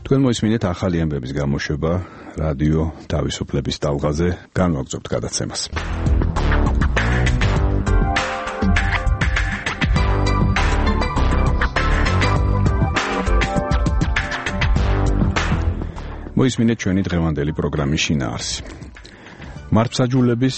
თქვენ მოისმინეთ ახალი ამბების გამოშვება რადიო თავისუფლების ტალღაზე, განვაგრძობთ გადაცემას. მოისმინეთ ჩვენი დღევანდელი პროგრამის შინაარსი. მართლმსაჯულების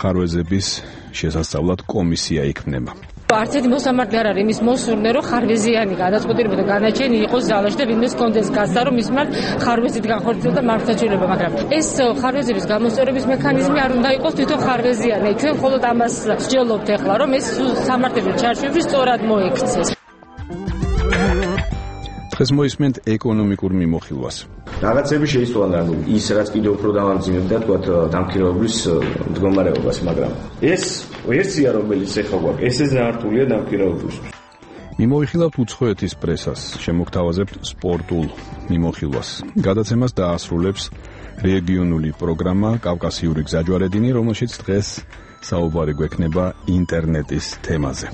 ხარვეზების შესასწავლად კომისია იქმნება. არც ერთი მოსამართლე არ არის იმის მოსურნე, რომ ხარვეზიანი გადაწყვეტილება და განაჩენი იყოს ზალაში და ვინმეს კონდეს გასცა, რომ მის მიმართ ხარვეზით განხორციელდა მართლმსაჯულება, მაგრამ ეს ხარვეზების გამოსწორების მექანიზმი არ უნდა იყოს თვითონ ხარვეზიანი. ჩვენ მხოლოდ ამას ვსჯელობთ ახლა, რომ ეს სამართლებრივ ჩარჩოებში სწორად მოექცეს. დღეს მოისმენთ ეკონომიკურ მიმოხილვას. რაღაცები შეიცვალა ის, რაც კიდევ უფრო დამამძიმებდა თქვათ დამქირავებლის მდგომარეობას, მაგრამ ეს ვერსია, რომელიც ეხლა გვაქვს, ესე ზართულია დამქირავებლისთვის. მიმოიხილავთ უცხოეთის პრესას, შემოგთავაზებთ სპორტულ მიმოხილვას. გადაცემას დაასრულებს რეგიონული პროგრამა კავკასიური გზაჯვარედინი, რომელშიც დღეს საუბარი გვექნება ინტერნეტის თემაზე.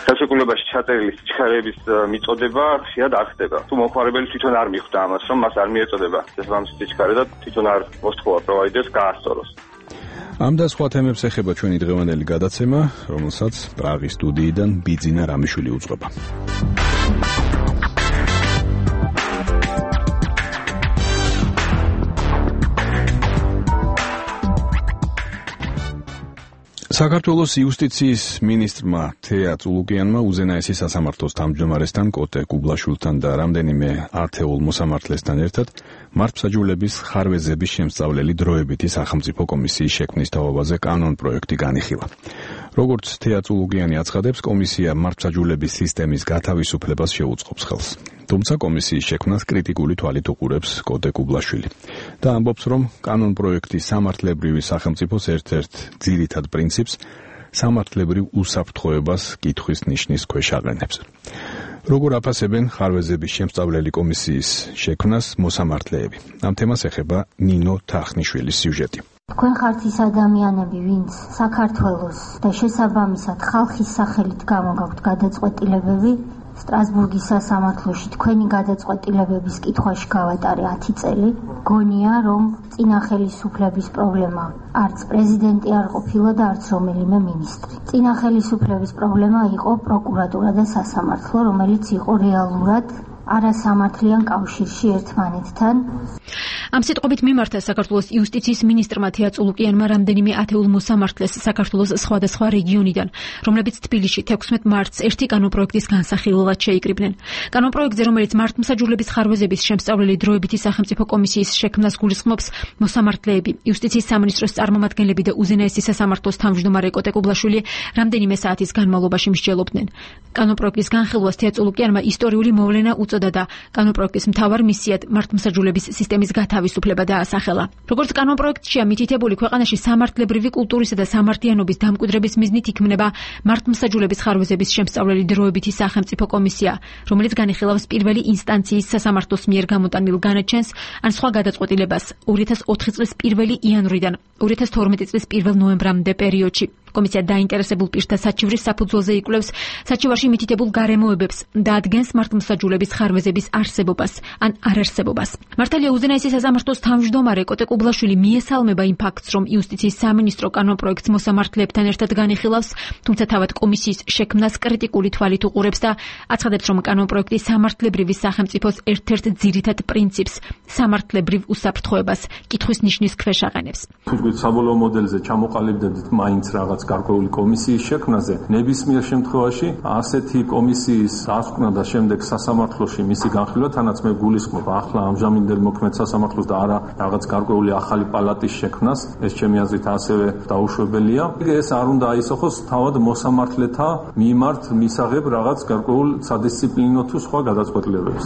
ხელშეკრულებაში ჩაწერილი სიჩქარეების მიწოდება ხშირად არ ხდება. თუ მომხმარებელი თვითონ არ მიხვდა ამას, რომ მას არ მიეწოდება შესაბამისი სიჩქარე და თვითონ არ მოსთხოვა პროვაიდერს გაასწოროს. ამ და სხვა თემებს ეხება ჩვენი დღევანდელი გადაცემა, რომელსაც პრაღის სტუდიიდან ბიძინა რამიშვილი უძღვება. საქართველოს იუსტიციის მინისტრმა თეა წულუკიანმა უზენაესი სასამართლოს თავმჯდომარესთან კოტე კუბლაშვილთან და რამდენიმე ათეულ მოსამართლესთან ერთად მართლმსაჯულების ხარვეზების შემსწავლელი დროებითი სახელმწიფო კომისიის შექმნის თავობაზე კანონპროექტი განიხილა. როგორც თეა წულუკიანი აცხადებს, კომისია მართლმსაჯულების სისტემის გათავისუფლებას შეუწყობს ხელს. თუმცა კომისიის შექმნას კრიტიკული თვალით უყურებს კოტე კუბლაშვილი და ამბობს, რომ კანონპროექტი სამართლებრივი სახელმწიფოს ერთ-ერთ ძირითად პრინციპს სამართლებრივ უსაფრთხოებას კითხვის ნიშნის ქვეშ აყენებს. როგორ აფასებენ ხარვეზების შემსწავლელი კომისიის შექმნას მოსამართლეები? ამ თემას ეხება ნინო თახნიშვილის სიუჟეტი. თქვენ ხართ ის ადამიანები, ვინც საქართველოს და შესაბამისად ხალხის სახელით გამოგაქვთ გადაწყვეტილებები, სტრასბურგის სასამართლოში თქვენი გადაწყვეტილებების კითხვაში გავატარე 10 წელი. გონია, რომ წინა ხელისუფლების პრობლემა არც პრეზიდენტი არ ყოფილა და არც რომელიმე მინისტრი. წინა ხელისუფლების პრობლემა იყო პროკურატურა და სასამართლო, რომელიც იყო რეალურად არასამართლიან კავშირში ერთმანეთთან. ამ სიტყვებით მიმართა საქართველოს იუსტიციის მინისტრმა თეა წულუკიანმა რამდენიმე ათეულ მოსამართლეს საქართველოს სხვადასხვა რეგიონიდან, რომლებიც თბილისში 16 მარტს ერთი კანონპროექტის განსახილველად შეიკრიბნენ. კანონპროექტზე, რომელიც მართლმსაჯულების ხარვეზების შემსწავლელი დროებითი სახელმწიფო კომისიის შექმნას გულისხმობს, მოსამართლეები, იუსტიციის სამინისტროს წარმომადგენლები და უზენაესი სასამართლოს თავმჯდომარე კოტე კუბლაშვილი რამდენიმე საათის განმავლობაში მსჯელობდნენ. კანონპროექტის განხილვას თეა წულუკიანმა ისტორიული მოვლენა უწოდა და კანონპროექტის მთავარ მისიად მართლმსაჯულების სისტემის გათავისუფლება დაასახელა. როგორც კანონპროექტშია მითითებული, ქვეყანაში სამართლებრივი კულტურისა და სამართლიანობის დამკვიდრების მიზნით იქმნება მართლმსაჯულების ხარვეზების შემსწავლელი დროებითი სახელმწიფო კომისია, რომელიც განიხილავს პირველი ინსტანციის სასამართლოს მიერ გამოტანილ განაჩენს ან სხვა გადაწყვეტილებას 2004 წლის 1 იანვრიდან 2012 წლის 1 ნოემბრამდე პერიოდში. კომისია დაინტერესებულ პირთა საჩივრის საფუძველზე იკვლევს საჩივარში მითითებულ გარემოებებს და ადგენს მართლმსაჯულების ხარვეზების არსებობას ან არარსებობას. მართალია უზენაესი სასამართლოს თავმჯდომარე კოტე კუბლაშვილი მიესალმება იმ ფაქტს, რომ იუსტიციის სამინისტრო კანონპროექტს მოსამართლეებთან ერთად განიხილავს, თუმცა თავად კომისიის შექმნას კრიტიკული თვალით უყურებს და აცხადებს, რომ კანონპროექტი სამართლებრივი სახელმწიფოს ერთ-ერთ ძირითად პრინციპს სამართლებრივ უსაფრთხოებას კითხვის ნიშნის ქვეშ აყენებს. თუნდაც საბოლოო მოდელზე ჩამოყალიბდებით მაინც რაღაც გარკვეული კომისიის შექმნაზე, ნებისმიერ შემთხვევაში ასეთი კომისიის დასკვნა და შემდეგ სასამართლოში მისი განხილვა, თანაც მე გულისხმობ ახლა ამჟამინდელ მოქმედ სასამართლოს და არა რაღაც გარკვეული ახალი პალატის შექმნას, ეს ჩემი აზრით ასევე დაუშვებელია. ეს არ უნდა აისახოს თავად მოსამართლეთა მიმართ მისაღებ რაღაც გარკვეულ სადისციპლინო თუ სხვა გადაწყვეტილებებს.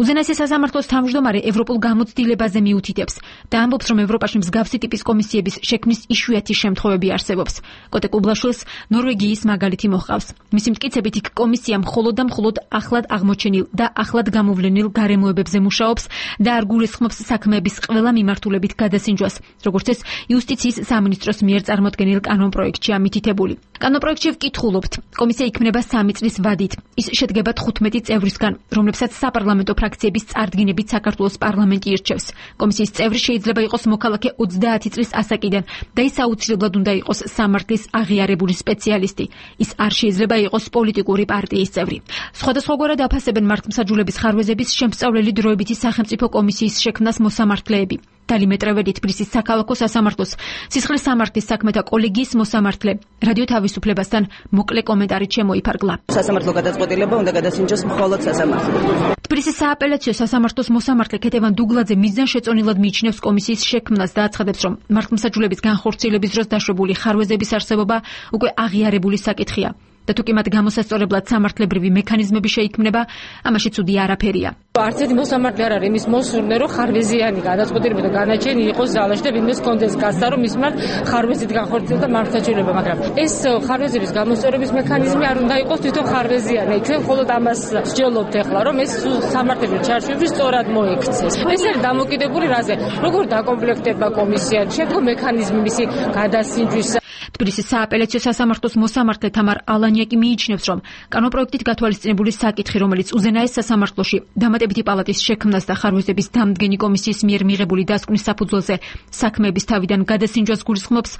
უზენაესი სასამართლოს თავმჯდომარე ევროპულ გამოცდილებაზე მიუთითებს და ამბობს, რომ ევროპაში მსგავსი ტიპის კომისიების შექმნის იშვიათი შემთხვევები არსებობს. კოტე კუბლაშვილს ნორვეგიის მაგალითი მოჰყავს. მისი მტკიცებით იქ კომისია მხოლოდ და მხოლოდ ახლად აღმოჩენილ და ახლად გამოვლენილ გარემოებებზე მუშაობს და არ გულისხმობს საქმეების ყველა მიმართულებით გადასინჯვას, როგორც ეს იუსტიციის სამინისტროს მიერ წარმოდგენილ კანონპროექტშია მითითებული. კანონპროექტში ვკითხულობთ, კომისია იქმნება 3 წლის ვადით. ის შედგება 15 წევრისგან, რომლებსაც საპარლამენტო ფრაქცია ფრაქციების წარდგინებით საქართველოს პარლამენტი ირჩევს. კომისიის წევრი შეიძლება იყოს მოქალაქე 30 წლის ასაკიდან და ის აუცილებლად უნდა იყოს სამართლის აღიარებული სპეციალისტი. ის არ შეიძლება იყოს პოლიტიკური პარტიის წევრი. სხვადასხვაგვარად აფასებენ მართლმსაჯულების ხარვეზების შემსწავლელი დროებითი სახელმწიფო კომისიის შექმნას მოსამართლეები. დალიმეტრეველი თბილისის საქალაქო სასამართლოს სისხლის სამართლის საქმეთა კოლეგიის მოსამართლე რადიო თავისუფლებასთან მოკლე კომენტარით შემოიფარგლა. სასამართლო გადაწყვეტილება უნდა გადასინჯოს მხოლოდ სასამართლომ. თბილისის სააპელაციო სასამართლოს მოსამართლე ქეთევან დუგლაძე მიზანშეწონილად მიიჩნევს კომისიის შექმნას და აცხადებს, რომ მართლმსაჯულების განხორციელების დროს დაშვებული ხარვეზების არსებობა უკვე აღიარებული საკითხია. და თუ კი მათ გამოსასწორებლად სამართლებრივი მექანიზმები შეიქმნება, ამაში ცუდი არაფერია. არც ერთი მოსამართლე არ არის იმის მოსურნე, რომ ხარვეზიანი გადაწყვეტილება და განაჩენი იყოს ზალაში და ვინმეს კონდეს გასცა, რომ მის მიმართ ხარვეზით განხორციელდა მართლმსაჯულება, მაგრამ ეს ხარვეზების გამოსწორების მექანიზმი არ უნდა იყოს თვითონ ხარვეზიანი. ჩვენ მხოლოდ ამას ვსჯელობთ ახლა, რომ ეს სამართლებრივ ჩარჩოებში სწორად მოექცეს. ეს არის დამოკიდებული რაზე, როგორ დაკომპლექტება კომისია, შედგა მექანიზმი მისი გადასინჯვის. თბილისის სააპელაციო სასამართლოს მოსამართლე თამარ ალანიაკი მიიჩნევს, რომ კანონპროექტით გათვალისწინებული საკითხი, რომელიც უზენაეს სასამართლოში დამატებითი პალატის შექმნას და ხარვეზების დამდგენი კომისიის მიერ მიღებული დასკვნის საფუძველზე საქმეების თავიდან გადასინჯვას გულისხმობს,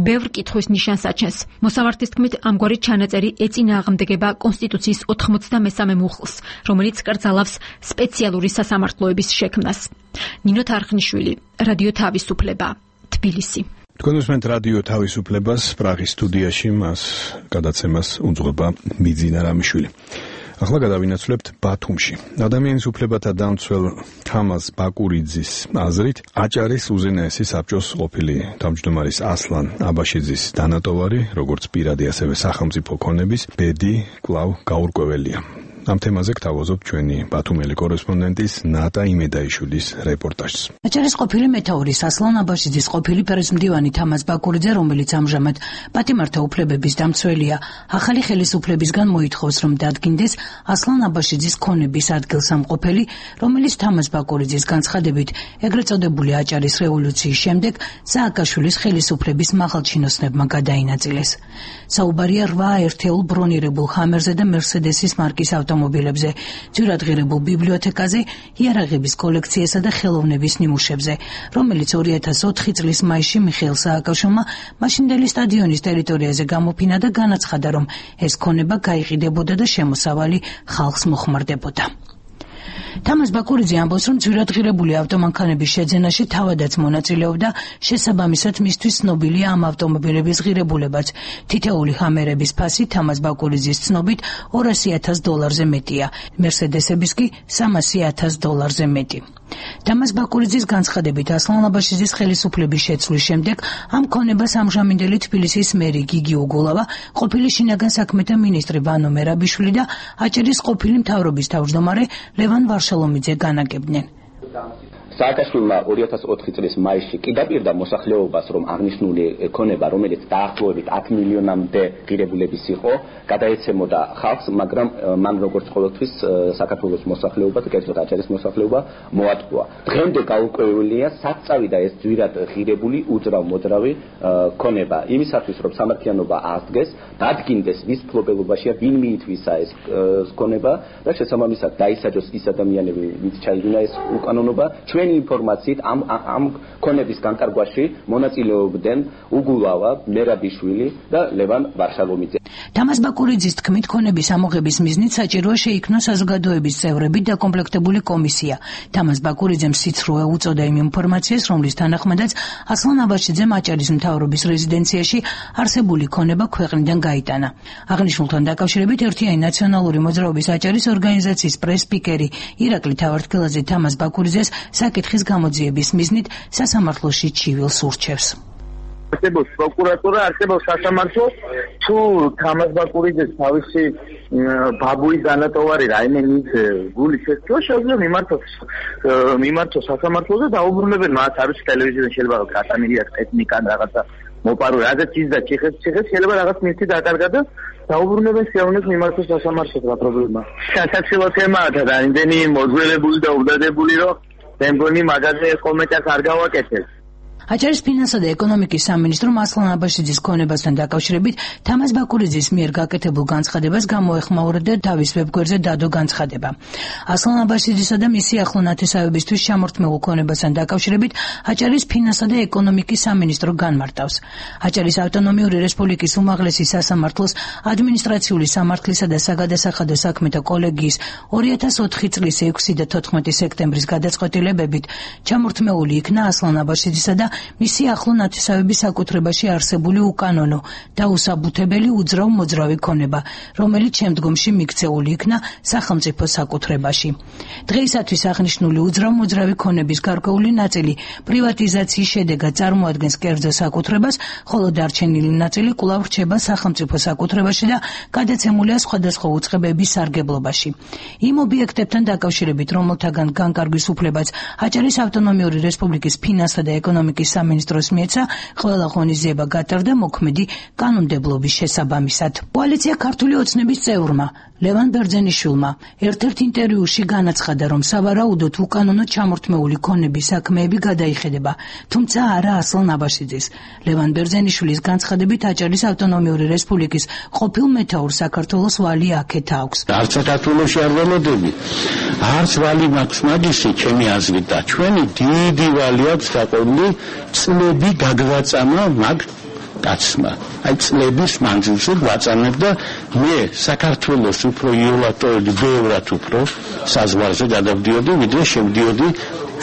ბევრ კითხვის ნიშანს აჩენს. მოსამართლის თქმით, ამგვარი ჩანაწერი ეწინააღმდეგება კონსტიტუციის 93 მუხლს, რომელიც კრძალავს სპეციალური სასამართლოების შექმნას. ნინო თარხნიშვილი, რადიო თავისუფლება, თბილისი. თქვენ უსმენთ რადიო თავისუფლებას, პრაღის სტუდიაში მას გადაცემას უძღვება მიძინა რამიშვილი. ახლა გადავინაცვლებთ ბათუმში. ადამიანის უფლებათა დამცველ თამაზ ბაკურიძის აზრით, აჭარის უზენაესი საბჭოს ყოფილი თავმჯდომარის ასლან აბაშიძის დანატოვარი, როგორც პირადი ასევე სახელმწიფო ქონების ბედი კვლავ გაურკვეველია. ამ თემაზე გთავაზობთ ჩვენი ბათუმელი კორესპონდენტის ნატა იმედაიშვილის რეპორტაჟს. აჭარის ყოფილი მეთაურის ასლან აბაშიძის ყოფილი პრეზიდენტი თამაზ ბაკურიძე, რომელიც ამჟამად პატიმართა უფლებების დამცველია, ახალი ხელისუფლებისგან მოითხოვს, რომ დადგინდეს ასლან აბაშიძის ქონების ადგილსამყოფელი, რომელიც თამაზ ბაკურიძის განცხადებით ეგრეთ წოდებული აჭარის რევოლუციის შემდეგ სააკაშვილის ხელისუფლების მაღალჩინოსნებმა გადაინაწილეს. საუბარია 8 ერთეულ ბრონირებულ ჰამერზე და მერსედესის მარკის ავტომობილებზე, ძვირადღირებულ ბიბლიოთეკაზე, იარაღების კოლექციასა და ხელოვნების ნიმუშებზე, რომელიც 2004 წლის მაისში მიხეილ სააკაშვილმა მაშინდელი სტადიონის ტერიტორიაზე გამოფინა და განაცხადა, რომ ეს ქონება გაიყიდებოდა და შემოსავალი ხალხს მოხმარდებოდა. თამაზ ბაკურიძე ამბობს, რომ ძვირადღირებული ავტომანქანების შეძენაში თავადაც მონაწილეობდა, შესაბამისად მისთვის ცნობილია ამ ავტომობილების ღირებულებაც. თითოეული ჰამერების ფასი თამაზ ბაკურიძის ცნობით $200,000-ზე მეტია, მერსედესების კი $300,000-ზე მეტი. თამაზ ბაკურიძის განცხადებით, ასლან აბაშიძის ხელისუფლების შეცვლის შემდეგ ამ ქონებას ამჟამინდელი თბილისის მერი გიგი უგულავა, ყოფილი შინაგან საქმეთა მინისტრი ვანო მერაბიშვილი და აჭარის ყოფილი მთავრობის თავმჯდომარე ლევან ვარშალომიძე განაგებდნენ. სააკაშვილმა 2004 წლის მაისში კი დაპირდა მოსახლეობას, რომ აღნიშნული ქონება, რომელიც დაახლოებით 10 მილიონამდე ღირებულების იყო, გადაეცემოდა ხალხს, მაგრამ მან როგორც ყოველთვის საქართველოს მოსახლეობა და კერძოდ აჭარის მოსახლეობა მოატყუა. დღემდე გაურკვეველია, საწავი და ეს ძვირად ღირებული უძრავ-მოძრავი ქონება. იმისათვის, რომ სამართლიანობა აღდგეს, დადგინდეს ვის მფლობელობაშია, ვინ მიითვისა ეს ქონება და შესაბამისად დაისაჯოს ის ადამიანები, ვინც ჩაიდინა ეს უკანონობა. ჩვენი ინფორმაციით ამ ქონების განკარგვაში მონაწილეობდნენ უგულავა, მერაბიშვილი და ლევან ვარშალომიძე. თამაზ ბაკურიძის თქმით, ქონების ამოღების მიზნით საჭიროა შეიქმნოს საზოგადოების წევრებით დაკომპლექტებული კომისია. თამაზ ბაკურიძემ სიცრუე უწოდა იმ ინფორმაციას, რომლის თანახმადაც ასლან აბაშიძემ აჭარის მთავრობის რეზიდენციაში არსებული ქონება ქვეყნიდან გაიტანა. აღნიშნულთან დაკავშირებით ერთიანი ნაციონალური მოძრაობის აჭარის ორგანიზაციის პრეს-სპიკერი ირაკლი თავართქელაძე თამაზ ბაკურიძეს საკითხის გამოძიების მიზნით სასამართლოში ჩივილს ურჩევს. არსებობს პროკურატურა, არსებობს სასამართლო, თუ თამაზ ბაკურიძეს თავისი ბაბუის დანატოვარი რაიმე მის გული შეცვლა, შეიძლება მიმართოს სასამართლოზე და დაუბრუნებენ მას, არის ტელევიზიაზე შეიძლება გატანილია ტექნიკა რაღაცა მოპარული, რადგან ის და ციხეს შეიძლება რაღაც მისთვის დაკარგა და დაუბრუნებენ შეუნეს მიმართოს სასამართლოს რა პრობლემაა. სასაცილო თემაა და რამდენი მოძველებული და უბდადებული, რომ მე მგონი მაგაზე კომენტარს არ გავაკეთებ. აჭარის ფინანსთა და ეკონომიკის სამინისტრომ ასლან აბაშიძის ქონებასთან დაკავშირებით თამაზ ბაკურიძის მიერ გაკეთებულ განცხადებას გამოეხმაურა და თავის ვებგვერდზე დადო განცხადება. ასლან აბაშიძისა და მისი ახლო ნათესავებისთვის ჩამორთმეულ ქონებასთან დაკავშირებით აჭარის ფინანსთა და ეკონომიკის სამინისტრო განმარტავს. აჭარის ავტონომიური რესპუბლიკის უმაღლესი სასამართლოს ადმინისტრაციული სამართლისა და საგადასახადო საქმეთა კოლეგიის 2004 წლის 6 და 14 სექტემბრის გადაწყვეტილებებით ჩამორთმეული იქნა ასლან აბაშიძისა და მისი ახლო ნათესავების საკუთრებაში არსებული უკანონო და უსაბუთებელი უძრავ მოძრავი ქონება, რომელიც შემდგომში მიქცეული იქნა სახელმწიფო საკუთრებაში. დღეისათვის აღნიშნული უძრავ მოძრავი ქონების გარკვეული ნაწილი პრივატიზაციის შედეგად წარმოადგენს კერძო საკუთრებას, ხოლო დარჩენილი ნაწილი კვლავ რჩება სახელმწიფო საკუთრებაში და გადაცემულია სხვადასხვა უწყებების სარგებლობაში. იმ ობიექტებთან დაკავშირებით, რომელთაგან განკარგვის უფლებაც აჭარის ავტონომიური რესპუბლიკის ფინანსთა და ეკონომიკის სამინისტროს მიეცა, ყველა ღონისძიება გატარდა მოქმედი კანონმდებლობის შესაბამისად. კოალიცია ქართული ოცნების წევრმა ლევან ბერძენიშვილმა ერთ-ერთ ინტერვიუში განაცხადა, რომ სავარაუდოდ უკანონო ჩამორთმეული ქონების საქმეები გადაიხედება, თუმცა არა ასლან აბაშიძის. ლევან ბერძენიშვილის განცხადებით აჭარის ავტონომიური რესპუბლიკის ყოფილ მეთაურს საქართველოს ვალი აქეთ აქვს. არც საქართველოში არ ველოდები, არც ვალი მაქვს მაგისი, ჩემი აზრით და ჩვენი დიდი ვალი აქვს დაყოლილი წლები გაგვაწამა მაგ კაცმა. აი წლების მანძილზე გვაწამებ და მე საქართველოს უფრო იოლატოები ბევრად უფრო საზღვარზე გადავდიოდი, ვიდრე შევდიოდი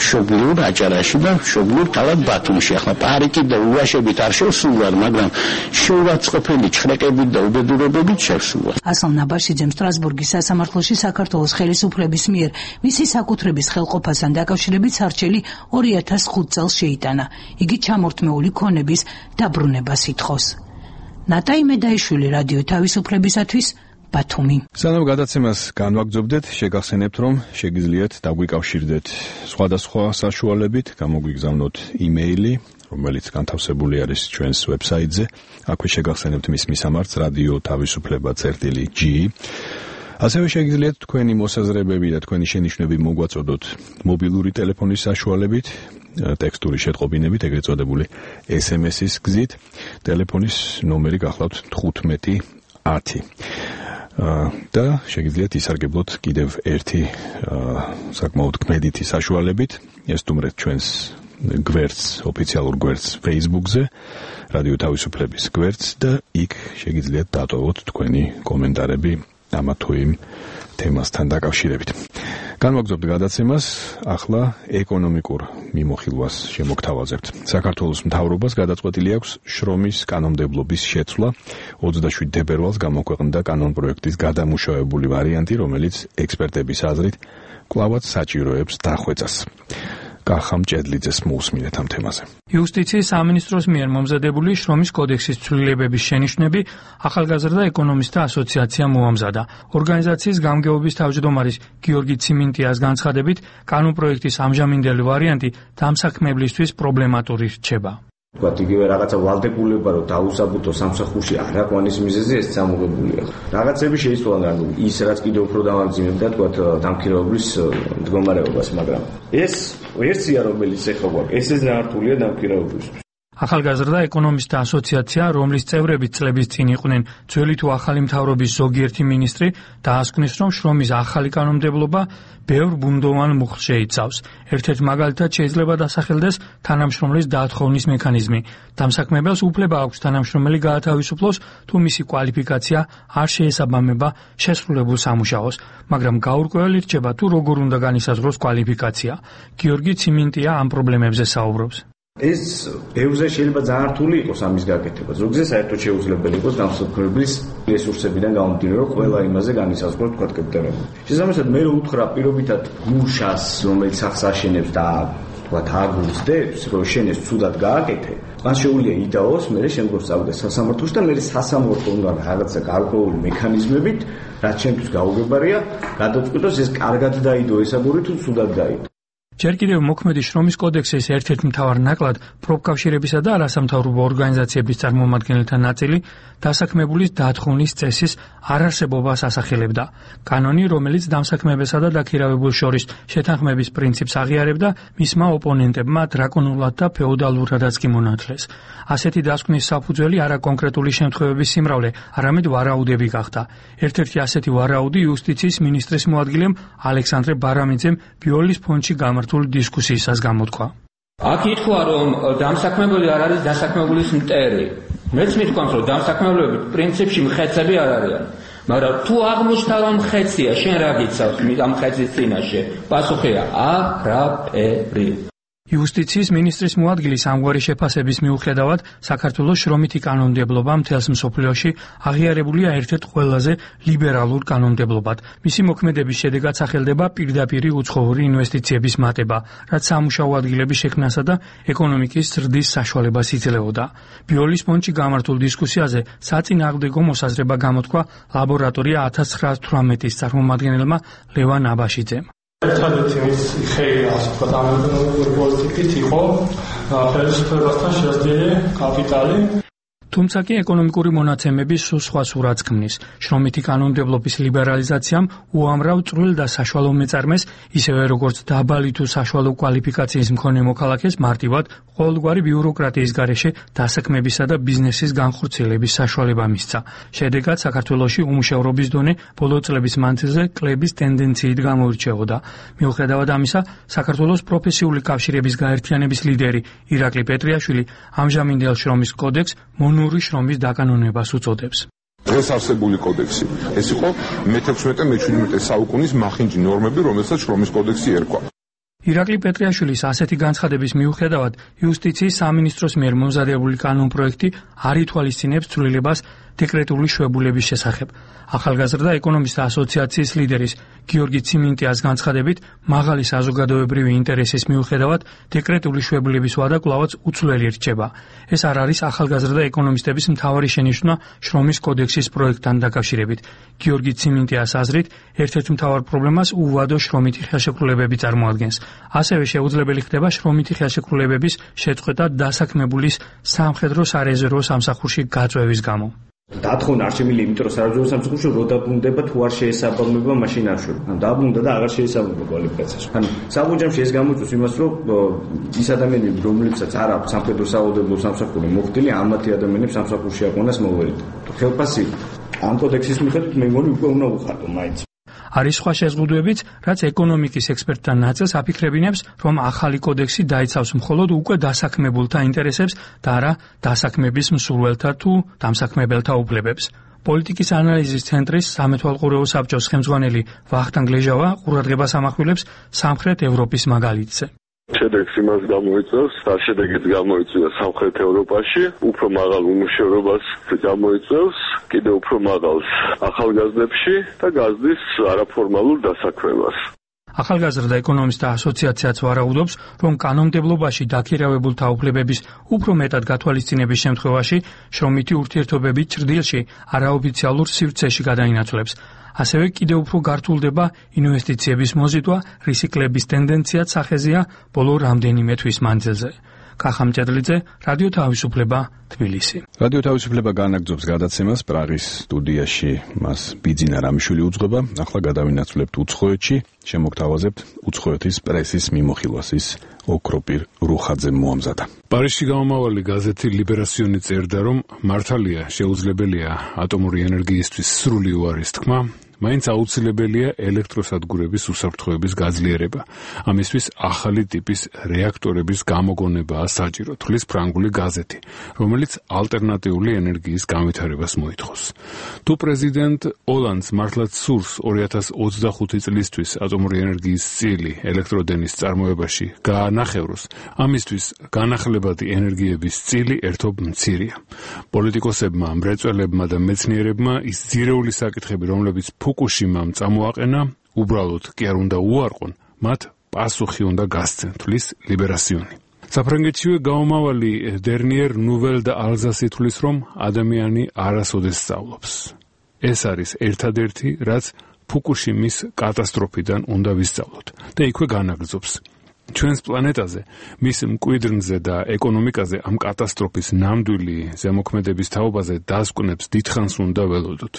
მშობლიურ აჭარაში და მშობლიურ ქალაქ ბათუმში. ახლა პარიკით და ულაშებით არ შევსულვარ, მაგრამ შეურაცხყოფელი ჩხრეკებით და უბედურებებით შევსულვარ. ასლან აბაშიძემ სტრასბურგის სასამართლოში საქართველოს ხელისუფლების მიერ მისი საკუთრების ხელყოფასთან დაკავშირებით სარჩელი 2005 წელს შეიტანა. იგი ჩამორთმეული ქონების დაბრუნებას ითხოვს. ნატაი მედაიშვილი, რადიო თავისუფლებისათვის, ბათუმი. სანამ გადაცემას განვაგრძობდეთ, შეგახსენებთ, რომ შეგიძლიათ დაგვიკავშირდეთ სხვადასხვა საშუალებით, გამოგვიგზავნოთ იმეილი, რომელიც განთავსებული არის ჩვენს ვებსაიტზე. აქვე შეგახსენებთ მის მისამართს რადიო თავისუფლება.g. ასევე შეგიძლიათ თქვენი მოსაზრებები და თქვენი შენიშვნები მოგვაწოდოთ მობილური ტელეფონის საშუალებით, ტექსტური შეტყობინებით, ეგრეთ წოდებული SMS-ის გზით. ტელეფონის ნომერი გახლავთ 1510. და შეგიძლიათ ისარგებლოთ კიდევ ერთი საკმაოდ კმედითი საშუალებით, ესტუმრეთ ჩვენს გვერდს, ოფიციალურ გვერდს Facebook-ზე, რადიო თავისუფლების გვერდს და იქ შეგიძლიათ დატოვოთ თქვენი კომენტარები ამა თუ იმ თემასთან დაკავშირებით. განვაგრძობთ გადაცემას, ახლა ეკონომიკურ მიმოხილვას შემოგთავაზებთ. საქართველოს მთავრობას გადაწყვეტილი აქვს შრომის კანონმდებლობის შეცვლა. 27 თებერვალს გამოქვეყნდა კანონპროექტის გადამუშავებული ვარიანტი, რომელიც ექსპერტების აზრით კვლავაც საჭიროებს დახვეწას. კახამ ჭედლიძეს მოусმინეთ ამ თემაზე. იუსტიციის სამინისტროს მიერ მომზადებული შრომის კოდექსის ცვლილებების შენიშვნები ახალგაზრდა ეკონომისტთა ასოციაციამ მოამზადა. ორგანიზაციის გამგეობის თავმჯდომარის გიორგი ციმინტიას განცხადებით, კანონპროექტის ამჟამინდელი ვარიანტი დამსაქმებლისთვის პრობლემატური რჩება. ვთქვათ, იგივე რაღაცა ვალდებულება რომ დაუსაბუთო სამსახურში არაყვანის მიზეზი ეს წამოღებულია. რაღაცები შეიცვალა, ანუ ის რაც კიდევ უფრო დამამძიმებდა, ვთქვათ, დამქირავებლის მდგომარეობას, მაგრამ ეს ვერსია, რომელიც ეხლა გვაქვს, ესე ზართულია დამქირავებლისთვის. ახალგაზრდა ეკონომისტთა ასოციაცია, რომლის წევრები წლების წინ იყვნენ ძველი თუ ახალი მთავრობის ზოგიერთი მინისტრი, დაასკვნის, რომ შრომის ახალი კანონმდებლობა ბევრ ბუნდოვან მუხლს შეიცავს. ერთ-ერთ მაგალითად შეიძლება დასახელდეს თანამშრომლის დაათხოვნის მექანიზმი. დამსაქმებელს უფლება აქვს თანამშრომელი გაათავისუფლოს, თუ მისი კვალიფიკაცია არ შეესაბამება შესრულებულ სამუშაოს, მაგრამ გაურკვეველი რჩება, თუ როგორ უნდა განისაზღვროს კვალიფიკაცია. გიორგი ციმინტია ამ პრობლემებზე საუბრობს. ეს ბევრზე შეიძლება ძალიან რთული იყოს ამის გაკეთება. ზოგზე საერთოდ შეუძლებელი იყოს დამსაქმებლის რესურსებიდან გამომდინარე, რომ ყველა იმაზე განისაზღვროს, თქვა კეპტემბერში. შესაბამისად, მე რო უთხრა პირობითად გუშას, რომელიც სახს აშენებს და თქვა აგულს რომ შენეს ცუდად გააკეთე, მას შეუძლია იდაოს, მე შემდგომ წავიდა სასამართლოში და მე სასამართლო უნდა რაღაცა გარკვეული მექანიზმებით, რაც ჩემთვის გაუგებარია, გადაწყვიტოს ეს კარგად დაიდო ეს აგური თუ ცუდად დაიდო. ჯერ კიდევ მოქმედი შრომის კოდექსის ერთ-ერთ მთავარ ნაკლად პროფკავშირებისა და არასამთავრობო ორგანიზაციების წარმომადგენელთა ნაწილი დასაქმებულის დათხოვნის წესის არარსებობას ასახელებდა. კანონი, რომელიც დამსაქმებელსა და დაქირავებულ შორის შეთანხმების პრინციპს აღიარებდა, მისმა ოპონენტებმა დრაკონულად და ფეოდალურადაც კი მონათლეს. ასეთი დასკვნის საფუძველი არა კონკრეტული შემთხვევების სიმრავლე, არამედ ვარაუდები გახდა. ერთ-ერთი ასეთი ვარაუდი იუსტიციის მინისტრის მოადგილემ ალექსანდრე ბარამიძემ ბიოლის ფონდში გამართულ დისკუსიისას გამოთქვა. აქ ითქვა, რომ დამსაქმებელი არ არის დასაქმებულის მტერი. მეც მithქვამს, რომ დამსაქმებლები პრინციპში მხეცები არ არიან. მაგრამ თუ აღმოჩნდა, რომ მხეცია, შენ რა გიცავს ამ მხეცის წინაშე? პასუხია: არაფერი. იუსტიციის მინისტრის მოადგილის ამგვარი შეფასების მიუხედავად, საქართველოს შრომითი კანონმდებლობა მთელს მსოფლიოში აღიარებულია ერთ-ერთ ყველაზე ლიბერალურ კანონმდებლობად. მისი მოქმედების შედეგად სახელდება პირდაპირი უცხოური ინვესტიციების მატება, რაც სამუშაო ადგილების შექმნასა და ეკონომიკის ზრდის საშუალებას იძლეოდა. ბიოლის ფონდში გამართულ დისკუსიაზე საწინააღმდეგო მოსაზრება გამოთქვა ლაბორატორია 1918-ის წარმომადგენელმა ლევან აბაშიძემ. ერთადერთი მის ხელი, ასე ვთქვათ, ამ ეკონომიკური პოლიტიკით იყო ხელისუფლებასთან შესდილი კაპიტალი. თუმცა კი ეკონომიკური მონაცემები სულ სხვა სურათს ქმნის. შრომითი კანონმდებლობის ლიბერალიზაციამ უამრავ წვრილ და საშუალო მეწარმეს, ისევე როგორც დაბალი თუ საშუალო კვალიფიკაციის მქონე მოქალაქეს მარტივად ყოველგვარი ბიუროკრატიის გარეშე დასაქმებისა და ბიზნესის განხორციელების საშუალება მისცა. შედეგად საქართველოში უმუშევრობის დონე ბოლო წლების მანძილზე კლების ტენდენციით გამოირჩეოდა. მიუხედავად ამისა, საქართველოს პროფესიული კავშირების გაერთიანების ლიდერი ირაკლი პეტრიაშვილი ამჟამინდელ შრომის კოდექსს მონური შრომის დაკანონებას უწოდებს. დღეს არსებული კოდექსი ეს იყო მე-16-მე-17 საუკუნის მახინჯი ნორმები, რომელსაც შრომის კოდექსი ერქვა. ირაკლი პეტრიაშვილის ასეთი განცხადების მიუხედავად, იუსტიციის სამინისტროს მიერ მომზადებული კანონპროექტი არ ითვალისწინებს ცვლილებას დეკრეტული შვებულების შესახებ. ახალგაზრდა ეკონომისტთა ასოციაციის ლიდერის გიორგი ციმინტიას განცხადებით, მაღალი საზოგადოებრივი ინტერესის მიუხედავად, დეკრეტული შვებულების ვადა კვლავაც უცვლელი რჩება. ეს არ არის ახალგაზრდა ეკონომისტების მთავარი შენიშვნა შრომის კოდექსის პროექტთან დაკავშირებით. გიორგი ციმინტიას აზრით, ერთ-ერთ მთავარ პრობლემას უვადო შრომითი ხელშეკრულებები წარმოადგენს. ასევე შეუძლებელი ხდება შრომითი ხელშეკრულებების შეწყვეტა დასაქმებულის სამხედრო სარეზერვო სამსახურში გაწვევის გამო. დათხოვნა არ შემიძლია, იმიტომ რომ სარეზერვო სამსახურში რო დაბრუნდება, თუ არ შეესაბამება, მაშინ არ შვება. ან დაბრუნდა და აღარ შეესაბამება კვალიფიკაციას. ან საბუჯამში ეს გამოიწვევს იმას, რომ ის ადამიანები, რომლებსაც არ აქვს სამხედრო საავადმყოფო სამსახური მოხდილი, ამათი ადამიანებს სამსახურში აყვანას მოუვერიდა. ხელფასი ამ კოდექსის მიხედვით მე მგონი უკვე უნდა უხატო მაინც. არის სხვა შეზღუდვებიც, რაც ეკონომიკის ექსპერტთა ნაწილს აფიქრებინებს, რომ ახალი კოდექსი დაიცავს მხოლოდ უკვე დასაქმებულთა ინტერესებს და არა დასაქმების მსურველთა თუ დამსაქმებელთა უფლებებს. პოლიტიკის ანალიზის ცენტრის სამეთვალყურეო საბჭოს ხელმძღვანელი ვახტანგ ლეჟავა ყურადღებას ამახვილებს სამხრეთ ევროპის მაგალითზე. შედეგს იმას გამოიწვევს, და შედეგიც გამოიწვია სამხრეთ ევროპაში, უფრო მაღალ უმუშევრობას გამოიწვევს, კიდევ უფრო მაღალს ახალგაზრდებში და გაზრდის არაფორმალურ დასაქმებას. ახალგაზრდა ეკონომისტთა ასოციაციაც ვარაუდობს, რომ კანონმდებლობაში დაქირავებულთა უფლებების უფრო მეტად გათვალისწინების შემთხვევაში შრომითი ურთიერთობები ჭრდილში არაოფიციალურ სივრცეში გადაინაცვლებს. ასევე კიდევ უფრო გართულდება ინვესტიციების მოზიდვა, რისი კლების ტენდენციაც სახეზეა ბოლო რამდენიმე თვის მანძილზე. კახამ ჭედლიძე, რადიო თავისუფლება, თბილისი. რადიო თავისუფლება განაგრძობს გადაცემას პრაღის სტუდიაში. მას ბიძინა რამიშვილი უძღვება. ახლა გადავინაცვლებთ უცხოეთში, შემოგთავაზებთ უცხოეთის პრესის მიმოხილვას. ის ოქროპირ რუხაძემ მოამზადა. პარიზში გამომავალი გაზეთი ლიბერასიონი წერდა, რომ მართალია შეუძლებელია ატომური ენერგიისთვის სრული უარის თქმა, მაინც აუცილებელია ელექტროსადგურების უსაფრთხოების გაძლიერება. ამისთვის ახალი ტიპის რეაქტორების გამოგონებაა საჭირო, თვლის ფრანგული გაზეთი, რომელიც ალტერნატიული ენერგიის განვითარებას მოითხოვს. თუ პრეზიდენტ ოლანდს მართლაც სურს 2025 წლისთვის ატომური ენერგიის წილი ელექტროდენის წარმოებაში გაანახევროს, ამისთვის განახლებადი ენერგიების წილი ერთობ მცირეა. პოლიტიკოსებმა, მრეწველებმა და მეცნიერებმა ის ძირეული საკითხები, რომლებიც ფუკუშიმამ წამოაყენა, უბრალოდ კი არ უნდა უარყონ, მათ პასუხი უნდა გასცენ, თვლის ლიბერასიონი. საფრანგეთშივე გამომავალი დერნიერ ნუվել და ალზასი თვლის, რომ ადამიანი არასოდეს სწავლობს. ეს არის ერთადერთი, რაც ფუკუშიმის კატასტროფიდან უნდა ვისწავლოთ და იქვე განაგრძობს. ჩვენს პლანეტაზე, მის მკვიდრნზე და ეკონომიკაზე ამ კატასტროფის ნამდვილი ზემოქმედების თაობაზე დასკვნებს დიდხანს უნდა ველოდოთ.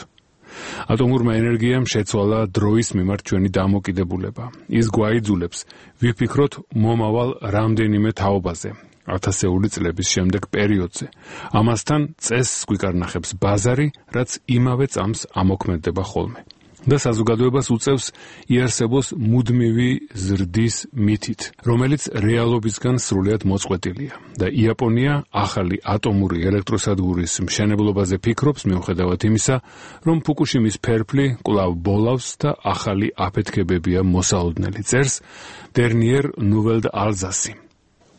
ატომურმა ენერგიამ შეცვალა დროის მიმართ ჩვენი დამოკიდებულება. ის გვაიძულებს ვიფიქროთ მომავალ რამდენიმე თაობაზე, ათასეული წლების შემდეგ პერიოდზე. ამასთან წესს გვიკარნახებს ბაზარი, რაც იმავე წამს ამოქმედდება ხოლმე. და საზოგადოებას უწევს იარსებოს მუდმივი ზრდის მითით, რომელიც რეალობისგან სრულიად მოწყვეტილია. და იაპონია ახალი ატომური ელექტროსადგურის მშენებლობაზე ფიქრობს, მიუხედავად იმისა, რომ ფუკუშიმის ფერფლი კვლავ ბოლავს და ახალი აფეთქებებია მოსალოდნელი, წერს დერნიერ ნუველდ ალზასი.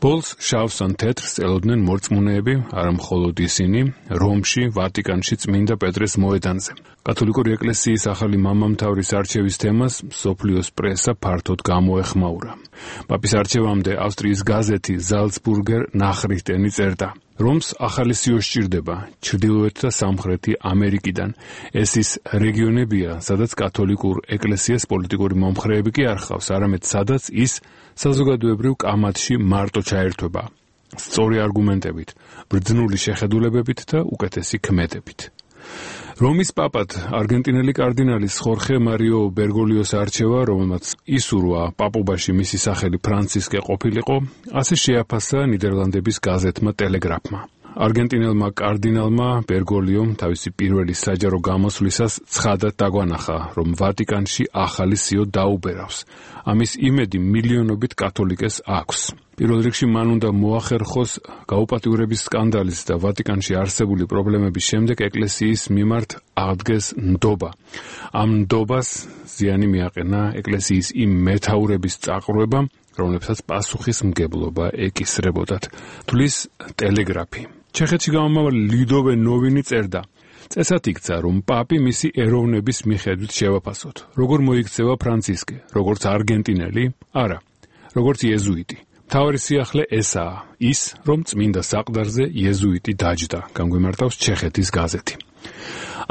ბოლს შავს ან თეთრს ელოდნენ მორწმუნეები, არა მხოლოდ ისინი, რომში, ვატიკანში წმინდა პეტრეს მოედანზე. კათოლიკური ეკლესიის ახალი მამამთავრის არჩევის თემას მსოფლიოს პრესა ფართოდ გამოეხმაურა. პაპის არჩევამდე ავსტრიის გაზეთი ზალცბურგერ ნახრიხტენი წერდა, რომს ახალი სიო სჭირდება ჩრდილოეთ და სამხრეთი ამერიკიდან. ეს ის რეგიონებია, სადაც კათოლიკურ ეკლესიას პოლიტიკური მომხრეები კი არ ხავს, არამედ სადაც ის საზოგადოებრივ კამათში მარტო ჩაერთვება. სწორი არგუმენტებით, ბრძნული შეხედულებებით და უკეთესი ქმედებით. რომის პაპად არგენტინელი კარდინალის ხორხე მარიო ბერგოლიოს არჩევა, რომელმაც ისურვა პაპობაში მისი სახელი ფრანცისკე ყოფილიყო, ასე შეაფასა ნიდერლანდების გაზეთმა ტელეგრაფმა. არგენტინელმა კარდინალმა ბერგოლიომ თავისი პირველი საჯარო გამოსვლისას ცხადად დაგვანახა, რომ ვატიკანში ახალი სიო დაუბერავს. ამის იმედი მილიონობით კათოლიკეს აქვს. პირველ რიგში მან უნდა მოახერხოს გაუპატიურების სკანდალის და ვატიკანში არსებული პრობლემების შემდეგ ეკლესიის მიმართ აღდგეს ნდობა. ამ ნდობას ზიანი მიაყენა ეკლესიის იმ მეთაურების წაყრობამ, რომლებსაც პასუხისმგებლობა ეკისრებოდათ, თulis ტელეგრაფი. ჩეხეთში გამომავალი ლიდოვე ნოვინი წერდა, წესად იქცა, რომ პაპი მისი ეროვნების მიხედვით შევაფასოთ. როგორ მოიქცევა ფრანცისკე, როგორც არგენტინელი? არა, როგორც იეზუიტი. მთავარი სიახლე ესაა, ის, რომ წმინდა საყდარზე იეზუიტი დაჯდა, განგვიმარტავს ჩეხეთის გაზეთი.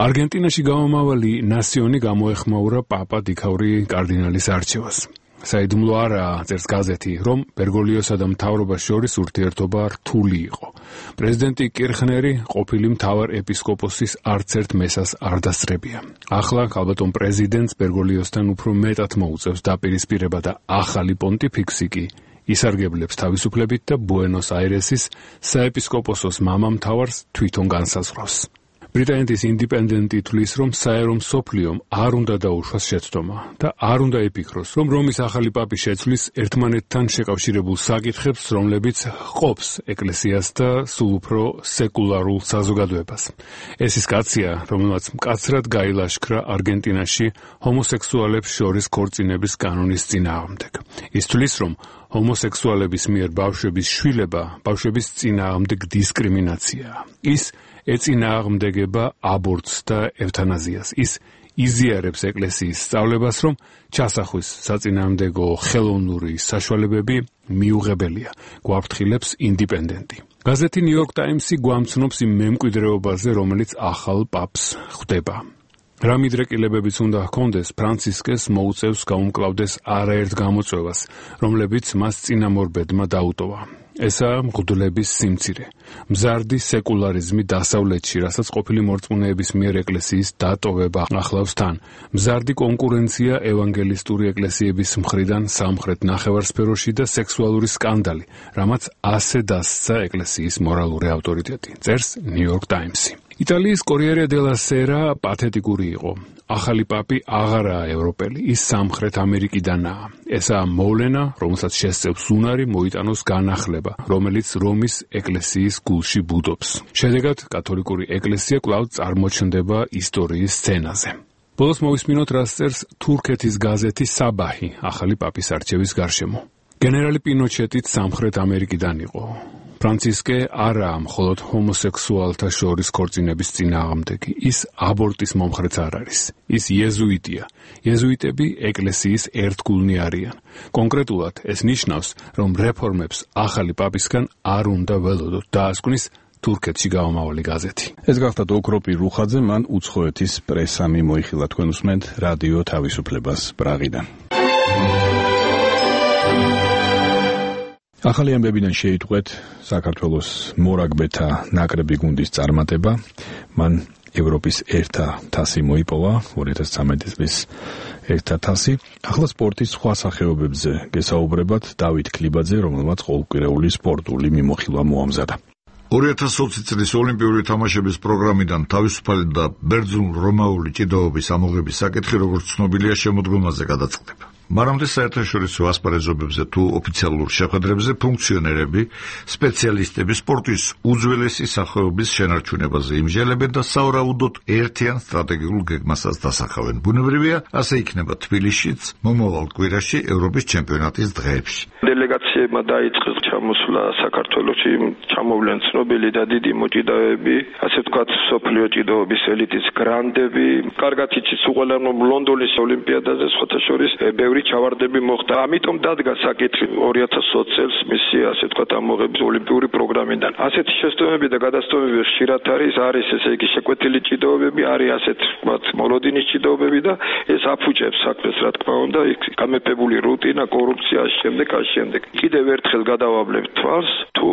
არგენტინაში გამომავალი ნასიონი გამოეხმაურა პაპა დიქაური კარდინალის არჩევას. საიდუმლო არაა, წერს გაზეთი, რომ ბერგოლიოსა და მთავრობას შორის ურთიერთობა რთული იყო. პრეზიდენტი კირხნერი ყოფილი მთავარ ეპისკოპოსის არც ერთ მესას არ დასწრებია. ახლა ალბათონ პრეზიდენტს ბერგოლიოსთან უფრო მეტად მოუწევს დაპირისპირება და ახალი პონტიფიქსი კი ისარგებლებს თავისუფლებით და ბუენოს-აირესის საეპისკოპოსოს მამამთავარს თვითონ განსაზღვრავს. ბრიტანეთის ინდიპენდენტი თვლის, რომ საერო მსოფლიომ არ უნდა დაუშვას შეცდომა და არ უნდა იფიქროს, რომ რომის ახალი პაპი შეცვლის ერთმანეთთან შეკავშირებულ საკითხებს, რომლებიც ყოფს ეკლესიას და სულ უფრო სეკულარულ საზოგადოებას. ეს ის კაცია, რომელმაც მკაცრად გაილაშქრა არგენტინაში ჰომოსექსუალებს შორის ქორწინების კანონის წინააღმდეგ. ის თვლის, რომ ჰომოსექსუალების მიერ ბავშვების შვილება ბავშვების წინააღმდეგ დისკრიმინაციაა. ის ეწინააღმდეგება აბორტს და ევთანაზიას. ის იზიარებს ეკლესიის სწავლებას, რომ ჩასახვის საწინააღმდეგო ხელოვნური საშუალებები მიუღებელია, გვაფრთხილებს ინდიპენდენტი. გაზეთი ნიუ-იორკ ტაიმსი გვამცნობს იმ მემკვიდრეობაზე, რომელიც ახალ პაპს ხვდება. რა მიდრეკილებებიც უნდა ჰქონდეს, ფრანცისკეს მოუწევს გაუმკლავდეს არაერთ გამოწვევას, რომლებიც მას წინამორბედმა დაუტოვა. ესაა მღვდლების სიმცირე, მზარდი სეკულარიზმი დასავლეთში, რასაც ყოფილი მორწმუნეების მიერ ეკლესიის დატოვება ახლავს თან, მზარდი კონკურენცია ევანგელისტური ეკლესიების მხრიდან სამხრეთ ნახევარსფეროში და სექსუალური სკანდალი, რამაც ასე დასცა ეკლესიის მორალური ავტორიტეტი, წერს ნიუ-იორკ ტაიმსი. იტალიის კორიერე დელა სერა პათეტიკური იყო. ახალი პაპი აღარაა ევროპელი, ის სამხრეთ ამერიკიდანაა. ესაა მოვლენა, რომელსაც შესწევს უნარი მოიტანოს განახლება, რომელიც რომის ეკლესიის გულში ბუდობს. შედეგად კათოლიკური ეკლესია კვლავ წარმოჩნდება ისტორიის სცენაზე. ბოლოს მოვისმინოთ, რას წერს თურქეთის გაზეთი საბაჰი ახალი პაპის არჩევის გარშემო. გენერალი პინოჩეტიც სამხრეთ ამერიკიდან იყო. ფრანცისკე არაა მხოლოდ ჰომოსექსუალთა შორის ქორწინების წინააღმდეგი, ის აბორტის მომხრეც არ არის. ის იეზუიტია. იეზუიტები ეკლესიის ერთგულნი არიან. კონკრეტულად ეს ნიშნავს, რომ რეფორმებს ახალი პაპისგან არ უნდა ველოდოთ, დაასკვნის თურქეთში გამომავალი გაზეთი. ეს გახდათ ოქროპი რუხაძე, მან უცხოეთის პრესამი მოიხილა. თქვენ უსმენთ რადიო თავისუფლებას პრაღიდან. ახალი ამბებიდან შეიტყვეთ საქართველოს მორაგბეთა ნაკრები გუნდის წარმატება. მან ევროპის ერთა თასი მოიპოვა 2013 წლის ერთა თასი. ახლა სპორტის სხვა სახეობებზე გესაუბრებათ დავით ქლიბაძე, რომელმაც ყოველკვირეული სპორტული მიმოხილვა მოამზადა. 2020 წლის ოლიმპიური თამაშების პროგრამიდან თავისუფალი და ბერძნულ-რომაული ჭიდაობის ამოღების საკითხი, როგორც ცნობილია, შემოდგომაზე გადაწყდება. მანამდე საერთაშორისო ასპარეზობებზე თუ ოფიციალურ შეხვედრებზე ფუნქციონერები, სპეციალისტები სპორტის უძველესი სახეობის შენარჩუნებაზე იმჟელებენ და სავარაუდოდ ერთიან სტრატეგიულ გეგმასაც დასახავენ. ბუნებრივია, ასე იქნება თბილისშიც მომავალ კვირაში ევროპის ჩემპიონატის დღეებში. დელეგაციებმა დაიწყეს ჩამოსვლა საქართველოში, ჩამოვლენ ცნობილი და დიდი მოჭიდავეები, ასე ვთქვათ, მსოფლიო ჭიდაობის ელიტის გრანდები. კარგად იცის უყველანო ლონდონის ოლიმპიადაზე სხვათა შორის ბევრი ჩავარდები მოხდა. ამიტომ დადგა საკითხი 2020 წელს მისი, ასე ვთქვათ, ამოღების ოლიმპიური პროგრამიდან. ასეთი შეცდომები და გადასტომები ხშირად არის ესე იგი შეკვეთილი ჭიდაობები, არის ასეთ ვთქვათ, მოლოდინის ჭიდაობები და ეს აფუჭებს საქმეს, რა თქმა უნდა, გამეფებული რუტინა, კორუფცია, შემდეგ. კიდევ ერთხელ გადავაბლებთ თვალს, თუ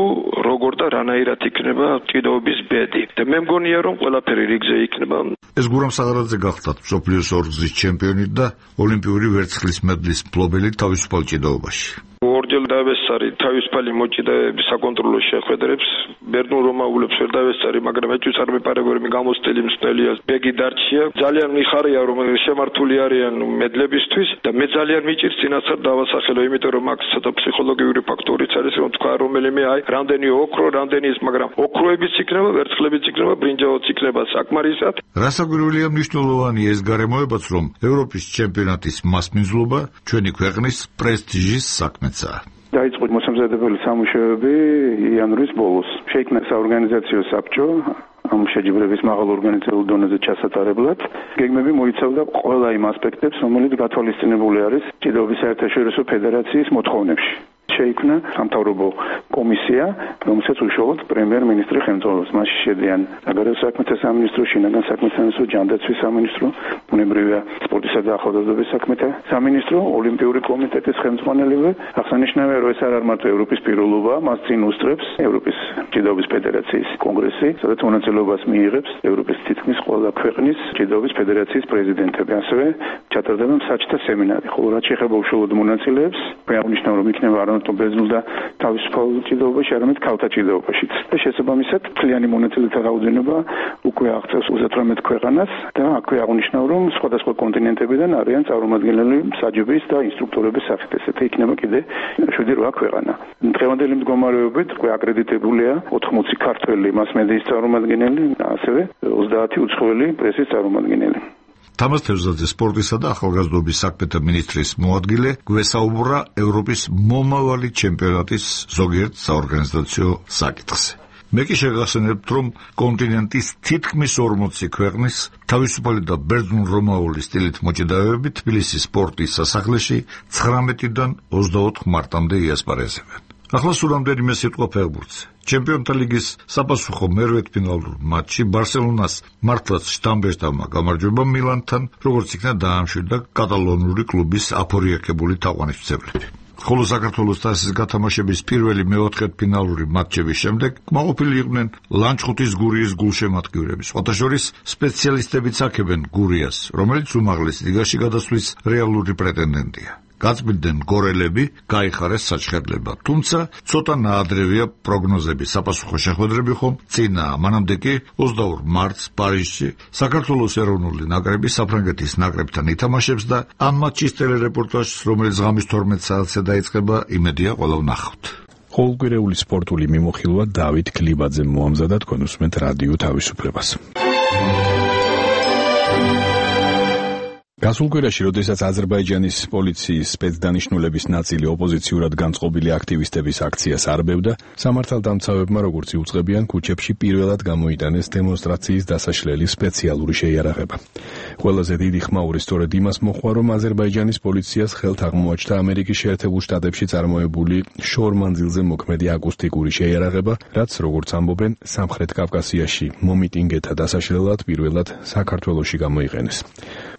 როგორ და რანაირად იქნება ჭიდაობის ბედი. და მე მგონია, რომ ყველაფერი რიგზე იქნება. ეს გურამ საღარაძე გახდათ მსოფლიოს ორგზის ჩემპიონი და ოლიმპიური ვერცხლის მედლის მფლობელი თავისუფალ ჭიდაობაში. ორჯერ დავესწარი თავისუფალი მოჭიდავეების საკონტროლო შეხვედრებს, ბერძნულ-რომაულებს ვერ დავესწარი, მაგრამ ეჭვიც არ მეპარებორი გამოსტილი მსნელია. ბეგი დარჩია, ძალიან მიხარია, რომ შემართული არიან მედლებისთვის და მე ძალიან მიჭირს წინასწარ დავასახელო, იმიტომ რომ აქ ცოტა ფსიქოლოგიური ფაქტორიც არის, რომ თქვა რომელიმე რამდენი ოქრო, რამდენი ის, მაგრამ ოქროებიც იქნება, ვერცხლებიც იქნება, ბრინჯაოც იქნება საკმარისად. რასაკვირველია, მნიშვნელოვანი ეს გარემოებაც, რომ ევროპის ჩემპიონატის მასპინძლობა ჩვენი ქვეყნის პრესტიჟის საქმეცაა. დაიწყო მოსამზადებელი სამუშაოები იანვრის ბოლოს. შეიქმნა საორგანიზაციო საბჭო ამ შეჯიბრების მაღალ ორგანიზაციულ დონეზე ჩასატარებლად. გეგმები მოიცავდა ყველა იმ ასპექტებს, რომელიც გათვალისწინებული არის ჭიდაობის საერთაშორისო ფედერაციის მოთხოვნებში. შეიქმნა სამთავრობო კომისია, რომელსაც უშუალოდ პრემიერ-მინისტრი ხელმძღვანელობს. მასში შედიან საგარეო საქმეთა სამინისტრო, შინაგან საქმეთა სამინისტრო, ჯანდაცვის სამინისტრო, ბუნებრივია, სპორტისა და ახალგაზრდობის საქმეთა სამინისტრო, ოლიმპიური კომიტეტის ხელმძღვანელები. აღსანიშნავია, რომ ეს არ მარტო ევროპის პირველობა, მას წინ უსწრებს ევროპის ჭიდაობის ფედერაციის კონგრესი, სადაც მონაწილეობას მიიღებს ევროპის თითქმის ყველა ქვეყნის ჭიდაობის ფედერაციის პრეზიდენტები. ასევე ჩატარდება მსაჯთა სემინარი. ხოლო რაც შეეხება უშუალოდ მონაწილეებს, აღნიშნავ, რომ იქნება არამარტო ბერძნულ და თავისუფალ ჭიდაობაში, არამედ ქალთა ჭიდაობაშიც. და შესაბამისად, მთლიანი მონაწილეთა რაოდენობა უკვე აღწევს 38 ქვეყანას და აქვე აღნიშნავ, რომ სხვადასხვა კონტინენტებიდან არიან წარმომადგენლები მსაჯების და ინსტრუქტორების სახით. ესეთი იქნება კიდე 7-8 ქვეყანა. დღევანდელი მდგომარეობით უკვე აკრედიტებულია 80 ქართველი მასმედიის წარმომადგენელი, ასევე 30 უცხოელი პრესის წარმომადგენელი. თამაზ თევზაძე სპორტისა და ახალგაზრდობის საქმეთა მინისტრის მოადგილე გვესაუბრა ევროპის მომავალი ჩემპიონატის ზოგიერთ საორგანიზაციო საკითხზე. მე კი შეგახსენებთ, რომ კონტინენტის თითქმის 40 ქვეყნის თავისუფალი და ბერძნულ-რომაული სტილით მოჭიდავეები თბილისის სპორტის სასახლეში 19-დან 24 მარტამდე იასპარეზებენ. ახლა სულ რამდენიმე სიტყვა ფეხბურთზე. ჩემპიონთა ლიგის საპასუხო მერვედფინალურ მატჩში ბარსელონას მართლაც შტამბერტავმა გამარჯვება მილანთან, როგორც იქნა დაამშვიდა კატალონური კლუბის აფორიაქებული თაყვანისმცემლები. ხოლო საქართველოს თასის გათამაშების პირველი მეოთხედფინალური მატჩების შემდეგ კმაყოფილი იყვნენ ლანჩხუთის გურიის გულშემატკივრები. სხვათა შორის სპეციალისტებიც აქებენ გურიას, რომელიც უმაღლეს ლიგაში გადასვლის რეალური პრეტენდენტია. გაწმიდდნენ გორელები, გაიხარეს საჩხერლება. თუმცა ცოტა ნაადრევია პროგნოზები, საპასუხო შეხვედრები ხომ წინაა. მანამდე კი 22 მარტს პარიზში საქართველოს ეროვნული ნაკრები საფრანგეთის ნაკრებთან ითამაშებს და ამ მატჩის ტელერეპორტაჟს, რომელიც ღამის 12 საათზე დაიწყება, იმედია ყველა ვნახავთ. ყოველკვირეული სპორტული მიმოხილვა დავით ქლიბაძემ მოამზადა, თქვენ უსმენთ რადიო თავისუფლებას. გასულ კვირაში, როდესაც აზერბაიჯანის პოლიციის სპეცდანიშნულების ნაწილი ოპოზიციურად განწყობილი აქტივისტების აქციას არბევდა, სამართალდამცავებმა, როგორც იუწყებიან, ქუჩებში პირველად გამოიტანეს დემონსტრაციის დასაშლელი სპეციალური შეიარაღება. ყველაზე დიდი ხმაური სწორედ იმას მოჰყვა, რომ აზერბაიჯანის პოლიციას ხელთ აღმოაჩნდა ამერიკის შეერთებულ შტატებში წარმოებული შორმანძილზე მოქმედი აკუსტიკური შეიარაღება, რაც, როგორც ამბობენ, სამხრეთ კავკასიაში მომიტინგეთა დასაშლელად პირველად საქართველოში გამოიყენეს.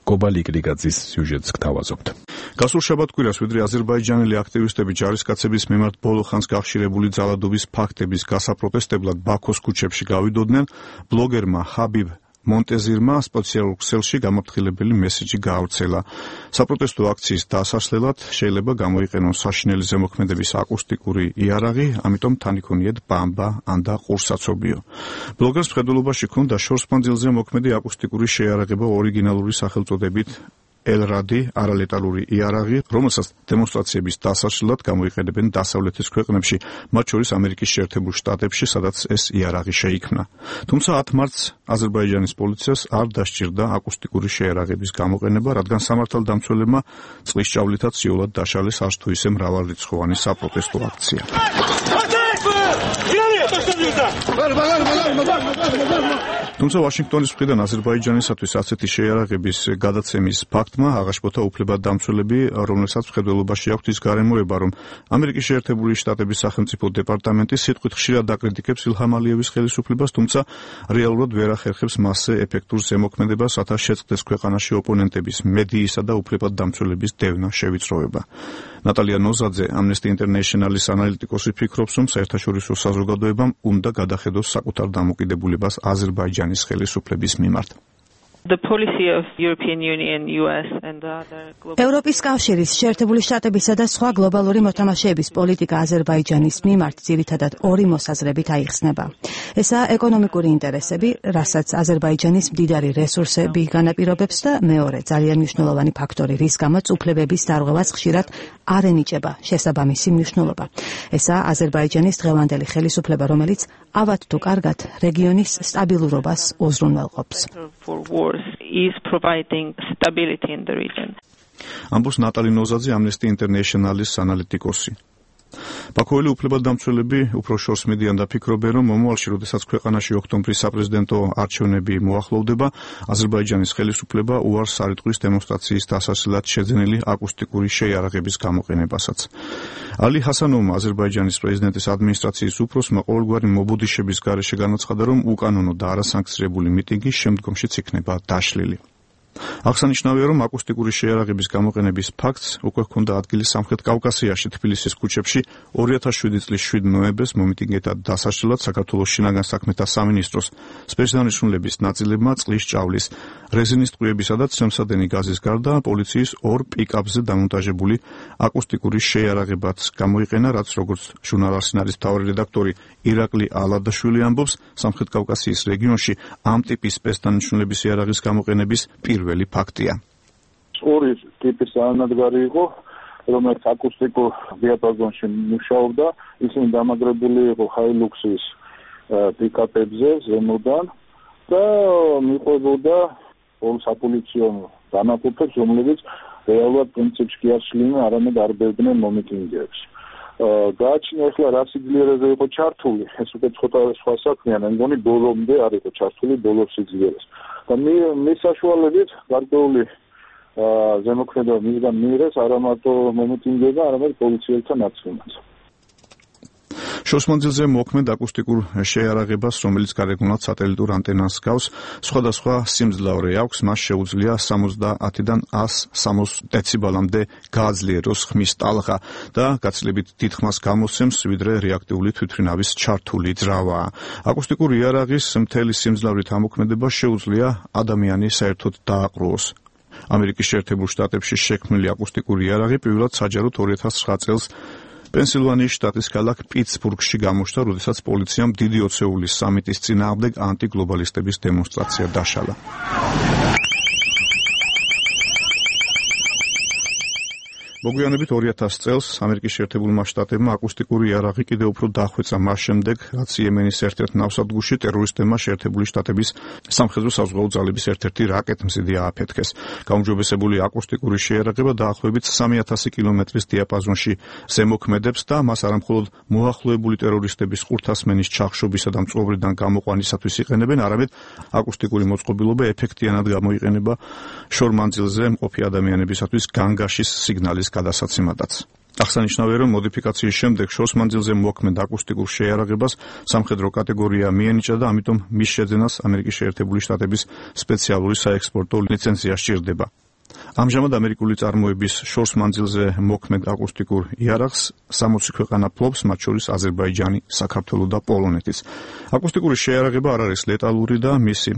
კობალი კრიგაძის სიუჟეტს გთავაზობთ. გასულ შაბათ-კვირას ვიდრე აზერბაიჯანელი აქტივისტები ჯარისკაცების მიმართ ბოლო ხანს გახშირებული ძალადობის ფაქტების გასაპროტესტებლად ბაქოს ქუჩებში გავიდოდნენ, ბლოგერმა ხაბიბ მონტეზირმა სპეციალურ ქსელში გამაფრთხილებელი მესიჯი გაავრცელა. საპროტესტო აქციის დასასვლელად შეიძლება გამოიყენონ საშინელი ზემოქმედების აკუსტიკური იარაღი, ამიტომ თან იქონიეთ ბამბა ან და ყურსაცობიო. ბლოგერს მხედველობაში ჰქონდა შორსმანძილზე მოქმედი აკუსტიკური შეიარაღება ორიგინალური სახელწოდებით ელრადი არალეტალური იარაღი, რომელსაც დემონსტრაციების დასაშლად გამოიყენებენ დასავლეთის ქვეყნებში, მათ შორის ამერიკის შეერთებულ შტატებში, სადაც ეს იარაღი შეიქმნა. თუმცა 10 მარტს აზერბაიჯანის პოლიციას არ დასჭირდა აკუსტიკური შეიარაღების გამოყენება, რადგან სამართალდამცველებმა წყლის ჭავლითაც იოლად დაშალეს არც თუ ისე მრავალრიცხოვანი საპროტესტო აქცია. თუმცა ვაშინგტონის მხრიდან აზერბაიჯანისათვის ასეთი შეიარაღების გადაცემის ფაქტმა აღაშფოთა უფლებადამცველები, რომელსაც მხედველობაში აქვთ ის გარემოება, რომ ამერიკის შეერთებული შტატების სახელმწიფო დეპარტამენტი სიტყვით ხშირად აკრიტიკებს ილჰამ ალიევის ხელისუფლებას, თუმცა რეალურად ვერ ახერხებს მასზე ეფექტურ ზემოქმედებას, რათა შეწყდეს ქვეყანაში ოპონენტების, მედიისა და უფლებადამცველების დევნა შევიწროება. ნატალია ნოზაძე, Amnesty International-ის ანალიტიკოსი ფიქრობს, რომ საერთაშორისო საზოგადოებამ უნდა გადახედოს საკუთარ დამოკიდებულებას აზერბაიჯანის ხელისუფლების მიმართ. ევროპის კავშირის, შეერთებული შტატებისა და სხვა გლობალური მოთამაშეების პოლიტიკა აზერბაიჯანის მიმართ ძირითადად ორი მოსაზრებით აიხსნება. ესაა ეკონომიკური ინტერესები, რასაც აზერბაიჯანის მდიდარი რესურსები განაპირობებს და მეორე ძალიან მნიშვნელოვანი ფაქტორი, რის გამოც უფლებების დარღვევას ხშირად არ ენიჭება შესაბამისი მნიშვნელობა. ესაა აზერბაიჯანის დღევანდელი ხელისუფლება, რომელიც ავად თუ კარგად რეგიონის სტაბილურობას უზრუნველყოფს. is providing stability in the region. ამბობს ნატალი ნოზაძე, Amnesty International-ის ანალიტიკოსი. ბაქოელი უფლებადამცველები უფრო შორს მიდიან და ფიქრობენ, რომ მომავალში, როდესაც ქვეყანაში ოქტომბრის საპრეზიდენტო არჩევნები მოახლოვდება, აზერბაიჯანის ხელისუფლება უარს არ იტყვის დემონსტრაციის დასასვლელად შეძენილი აკუსტიკური შეიარაღების გამოყენებასაც. ალი ჰასანოვმა, აზერბაიჯანის პრეზიდენტის ადმინისტრაციის უფროსმა, ყოველგვარი მობუდიშების გარეშე განაცხადა, რომ უკანონო და არასანქციონირებული მიტინგი შემდგომშიც იქნება დაშლილი. აღსანიშნავია, რომ აკუსტიკური შეიარაღების გამოყენების ფაქტს უკვე ჰქონდა ადგილი სამხრეთ კავკასიაში, თბილისის ქუჩებში 2007 წლის 7 ნოემბერს მომიტინგეთა დასაშლელად საქართველოს შინაგან საქმეთა სამინისტროს სპეციალისტების ნაწილებმა წყლის ჭავლის, რეზინის ტყვიებისა და ცემსადენი გაზის გარდა პოლიციის 2 პიკაპზე დამონტაჟებული აკუსტიკური შეიარაღებაც გამოიყენა, რაც როგორც ჟურნალ არსინალის მთავარი რედაქტორი ირაკლი ალადაშვილი ამბობს, სამხრეთ კავკასიის რეგიონში ამ ტიპის სპეცდანიშნულების იარაღის გამოყენების პირველი ფაქტია. ორი ტიპის ანადგარი იყო, რომელიც აკუსტიკურ დიაპაზონში მუშაობდა, ისინი დამაგრებული იყო ჰაილუქსის პიკაპებზე ზემოდან და მიყვებოდა ორ საპოლიციო დანაყოფებს, რომლებიც რეალურად პრინციპში კი არ შლიდნენ, არამედ არბევდნენ მომიტინგეებს. გააჩნია ახლა რა სიძლიერეზე იყო ჩართული, ეს უკვე ცოტა სხვა საქმეა, მე მგონი ბოლომდე არ იყო ჩართული ბოლო სიძლიერეს. და მის საშუალებით გარკვეული ზემოქმედება მისგან მიიღეს არა მარტო მომიტინგეებმა, არამედ პოლიციელთა ნაწილმაც. შორსმანძილზე მოქმედ აკუსტიკურ შეიარაღებას, რომელიც გარეგნულად სატელიტურ ანტენას გავს, სხვადასხვა სიმძლავრე აქვს, მას შეუძლია 70-დან 160 დეციბელამდე გააძლიეროს ხმის ტალღა და გაცილებით დიდ ხმას გამოსცემს, ვიდრე რეაქტიული თვითმფრინავის ჩართული ძრავა. აკუსტიკური იარაღის მთელი სიმძლავრით ამოქმედება შეუძლია ადამიანი საერთოდ დააყრუოს. ამერიკის შეერთებულ შტატებში შექმნილი აკუსტიკური იარაღი პირველად საჯაროდ 2009 წელს პენსილვანიის შტატის ქალაქ პიტსბურგში გამოჩნდა, როდესაც პოლიციამ დიდი ოცეულის სამიტის წინააღმდეგ ანტიგლობალისტების დემონსტრაცია დაშალა. მოგვიანებით 2000 წელს ამერიკის შეერთებულმა შტატებმა აკუსტიკური იარაღი კიდევ უფრო დახვეწა მას შემდეგ, რაც იემენის ერთ-ერთ ნავსადგურში ტერორისტებმა შეერთებული შტატების სამხედრო საზღვაო ძალების ერთ-ერთი რაკეტმზიდი ააფეთქეს. გაუმჯობესებული აკუსტიკური შეიარაღება დაახლოებით 3000 კილომეტრის დიაპაზონში ზემოქმედებს და მას არამხოლოდ მოახლოებული ტერორისტების ყურთასმენის ჩახშობისა და მწყობრიდან გამოყვანისათვის იყენებენ, არამედ აკუსტიკური მოწყობილობა ეფექტიანად გამოიყენება შორ მანძილზე მყოფი ადამიანებისათვის განგაშის სიგნალის გადასაცემადაც. აღსანიშნავია, რომ მოდიფიკაციის შემდეგ შორს მანძილზე მოქმედ აკუსტიკურ შეიარაღებას სამხედრო კატეგორია მიენიჭა და ამიტომ მის შეძენას ამერიკის შეერთებული შტატების სპეციალური საექსპორტო ლიცენზია სჭირდება. ამჟამად ამერიკული წარმოების შორს მანძილზე მოქმედ აკუსტიკურ იარაღს 60 ქვეყანა ფლობს, მათ შორის აზერბაიჯანი, საქართველო და პოლონეთის. აკუსტიკური შეიარაღება არ არის ლეტალური და მისი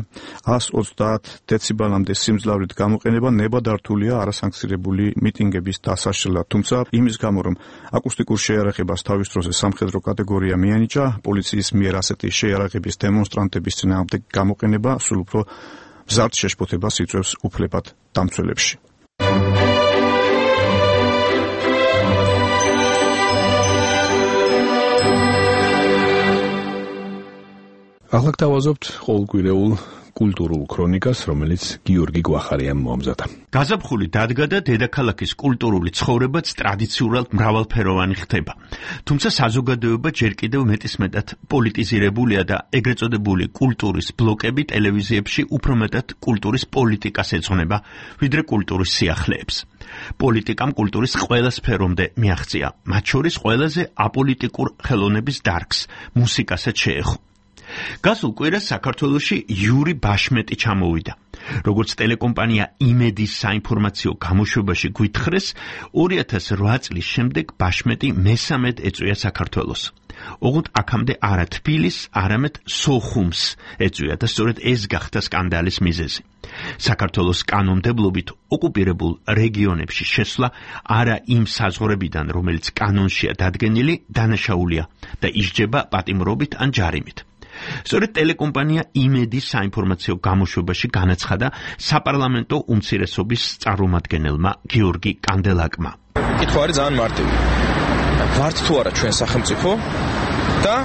130 დეციბელამდე სიმძლავრით გამოყენება ნებადართულია არასანქცირებული მიტინგების დასაშლელად. თუმცა იმის გამო, რომ აკუსტიკურ შეიარაღებას თავის დროზე სამხედრო კატეგორია მიენიჭა, პოლიციის მიერ ასეთი შეიარაღების დემონსტრანტების წინააღმდეგ გამოყენება სულ უფრო მზარდ შეშფოთებას იწვევს უფლებად დამცველებში. ახლა გთავაზობთ ყოველკვირეულ კულტურულ ქრონიკას, რომელიც გიორგი გვახარიამ მოამზადა. გაზაფხული დადგა და დედაქალაქის კულტურული ცხოვრებაც ტრადიციულად მრავალფეროვანი ხდება. თუმცა საზოგადოება ჯერ კიდევ მეტისმეტად პოლიტიზირებულია და ეგრეთ წოდებული კულტურის ბლოკები ტელევიზიებში უფრო მეტად კულტურის პოლიტიკას ეძღვნება, ვიდრე კულტურის სიახლეებს. პოლიტიკამ კულტურის ყველა სფერომდე მიაღწია, მათ შორის ყველაზე აპოლიტიკურ ხელოვნების დარგს, მუსიკასაც შეეხო. გასულ კვირას საქართველოში იური ბაშმეტი ჩამოვიდა. როგორც ტელეკომპანია იმედის საინფორმაციო გამოშვებაში გვითხრეს, 2008 წლის შემდეგ ბაშმეტი მესამედ ეწვია საქართველოს. ოღონდ აქამდე არა თბილისს, არამედ სოხუმს ეწვია და სწორედ ეს გახდა სკანდალის მიზეზი. საქართველოს კანონმდებლობით ოკუპირებულ რეგიონებში შესვლა არა იმ საზღვრებიდან, რომელიც კანონშია დადგენილი, დანაშაულია და ისჯება პატიმრობით ან ჯარიმით. სწორედ ტელეკომპანია იმედის საინფორმაციო გამოშვებაში განაცხადა საპარლამენტო უმცირესობის წარმომადგენელმა გიორგი კანდელაკმა. კითხვა არის ძალიან მარტივი. ვართ თუ არა ჩვენ სახელმწიფო და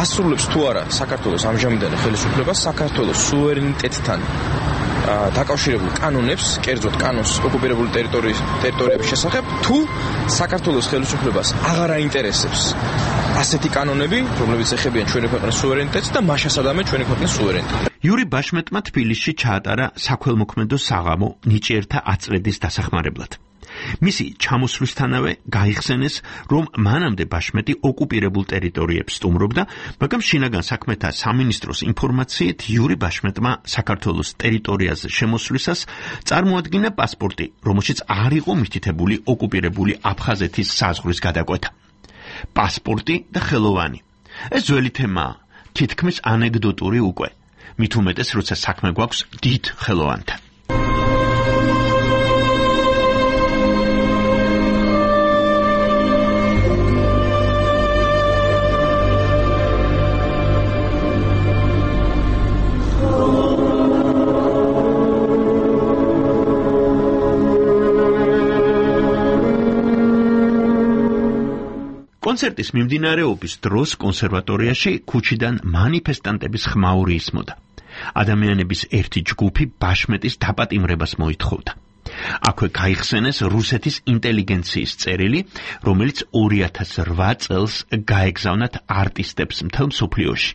ასრულებს თუ არა საქართველოს ამჟამინდელი ხელისუფლება საქართველოს სუვერენიტეტთან დაკავშირებულ კანონებს, კერძოდ კანონს ოკუპირებული ტერიტორიების შესახებ, თუ საქართველოს ხელისუფლებას აღარ აინტერესებს ასეთი კანონები, რომლებიც ეხებიან ჩვენი ქვეყნის სუვერენიტეტს და მაშასადამე ჩვენი ქვეყნის სუვერენიტეტს. იური ბაშმეტმა თბილისში ჩაატარა საქველმოქმედო საღამო ნიჭიერთა აწრედის დასახმარებლად. მისი ჩამოსვლისთანავე გაიხსენეს, რომ მანამდე ბაშმეტი ოკუპირებულ ტერიტორიებს სტუმრობდა, მაგრამ შინაგან საქმეთა სამინისტროს ინფორმაციით იური ბაშმეტმა საქართველოს ტერიტორიაზე შემოსვლისას წარმოადგინა პასპორტი, რომელშიც არ იყო მითითებული ოკუპირებული აფხაზეთის საზღვრის გადაკვეთა. პასპორტი და ხელოვანი. ეს ძველი თემაა, თითქმის ანეკდოტური უკვე. მით უმეტეს, როცა საქმე გვაქვს დიდ ხელოვანთან. კონცერტის მიმდინარეობის დროს კონსერვატორიაში ქუჩიდან მანიფესტანტების ხმაური ისმოდა. ადამიანების ერთი ჯგუფი ბაშმეტის დაპატიმრებას მოითხოვდა. აქვე გაიხსენეს რუსეთის ინტელიგენციის წერილი, რომელიც 2008 წელს გაეგზავნათ არტისტებს მთელ მსოფლიოში.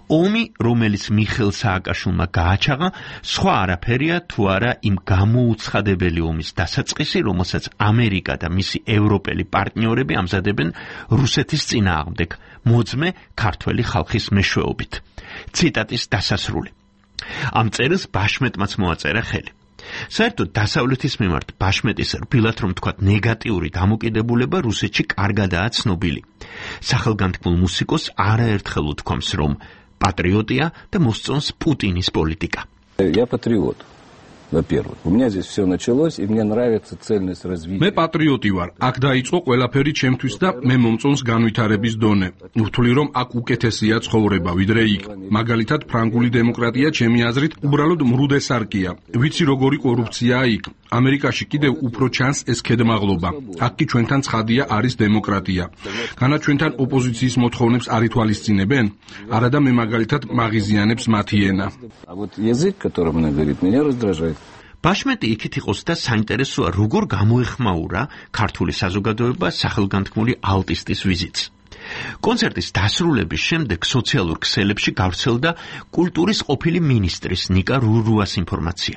ომი, რომელიც მიხეილ სააკაშვილმა გააჩაღა, სხვა არაფერია თუ არა იმ გამოუცხადებელი ომის დასაწყისი, რომელსაც ამერიკა და მისი ევროპელი პარტნიორები ამზადებენ რუსეთის წინააღმდეგ, მოძმე ქართველი ხალხის მეშვეობით. ციტატის დასასრული. ამ წერილს ბაშმეტმაც მოაწერა ხელი. საერთოდ დასავლეთის მიმართ ბაშმეტის რბილად რომ თქვათ ნეგატიური დამოკიდებულება რუსეთში კარგადაა ცნობილი. სახელგანთქმულ მუსიკოსს არაერთხელ უთქვამს, რომ პატრიოტია და მოსწონს პუტინის პოლიტიკა. Я патриот. Во-первых, у меня здесь все началось, и мне нравится цельность развития. მე პატრიოტი ვარ. აქ დაიწყო ყველაფერი ჩემთვის და მე მომწონს განვითარების დონე. ვთვლი რომ აქ უკეთესია ცხოვრება, ვიდრე იქ. მაგალითად, ფრანგული დემოკრატია ჩემი აზრით უბრალოდ მრუდესარკია. ვიცი როგორი კორუფციაა იქ. ამერიკაში კიდევ უფრო ჩანს ეს ქედმაღლობა. აქ კი ჩვენთან ცხადია არის დემოკრატია. განა ჩვენთან ოპოზიციის მოთხოვნებს არ ითვალისწინებენ? არადა მე მაგალითად მაღიზიანებს მათი ენა. А вот язык, которым она говорит, меня раздражает. ბაშმეტი იქით იყოს და საინტერესოა, როგორ გამოეხმაურა ქართული საზოგადოება სახელგანთქმული ალტისტის ვიზიტს. კონცერტის დასრულების შემდეგ სოციალურ ქსელებში გავრცელდა კულტურის ყოფილი მინისტრის ნიკა რურუას ინფორმაცია.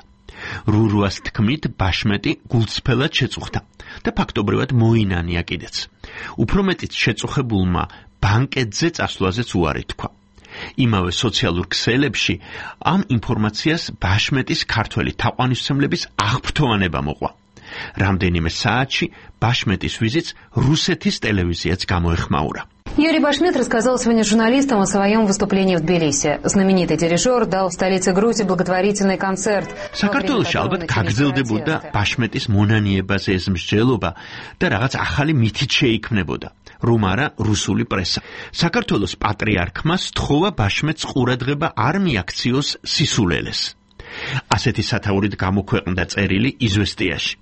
რურუას თქმით, ბაშმეტი გულწრფელად შეწუხდა და ფაქტობრივად მოინანია კიდეც. უფრო მეტიც შეწუხებულმა ბანკეტზე წასვლაზეც უარი თქვა. იმავე სოციალურ ქსელებში ამ ინფორმაციას ბაშმეტის ქართველი თაყვანისმცემლების აღფრთოვანება მოყვა. რამდენიმე საათში ბაშმეტის ვიზიტს რუსეთის ტელევიზიაც გამოეხმაურა. Юрий Башмет рассказал сегодня журналистам о своем выступлении в Тбилиси. Знаменитый дирижер дал в столице Грузии благотворительный концерт. საქართველოში ალბათ გაგრძელდებოდა ბაშმეტის მონანიებაზე ეს მსჯელობა და რაღაც ახალი მითით შეიქმნებოდა. რომ არა რუსული პრესა. საქართველოს პატრიარქმა სთხოვა ბაშმეტს ყურადღება არ მიაქციოს სისულელეს. ასეთი სათაურით გამოქვეყნდა წერილი იზვესტიაში.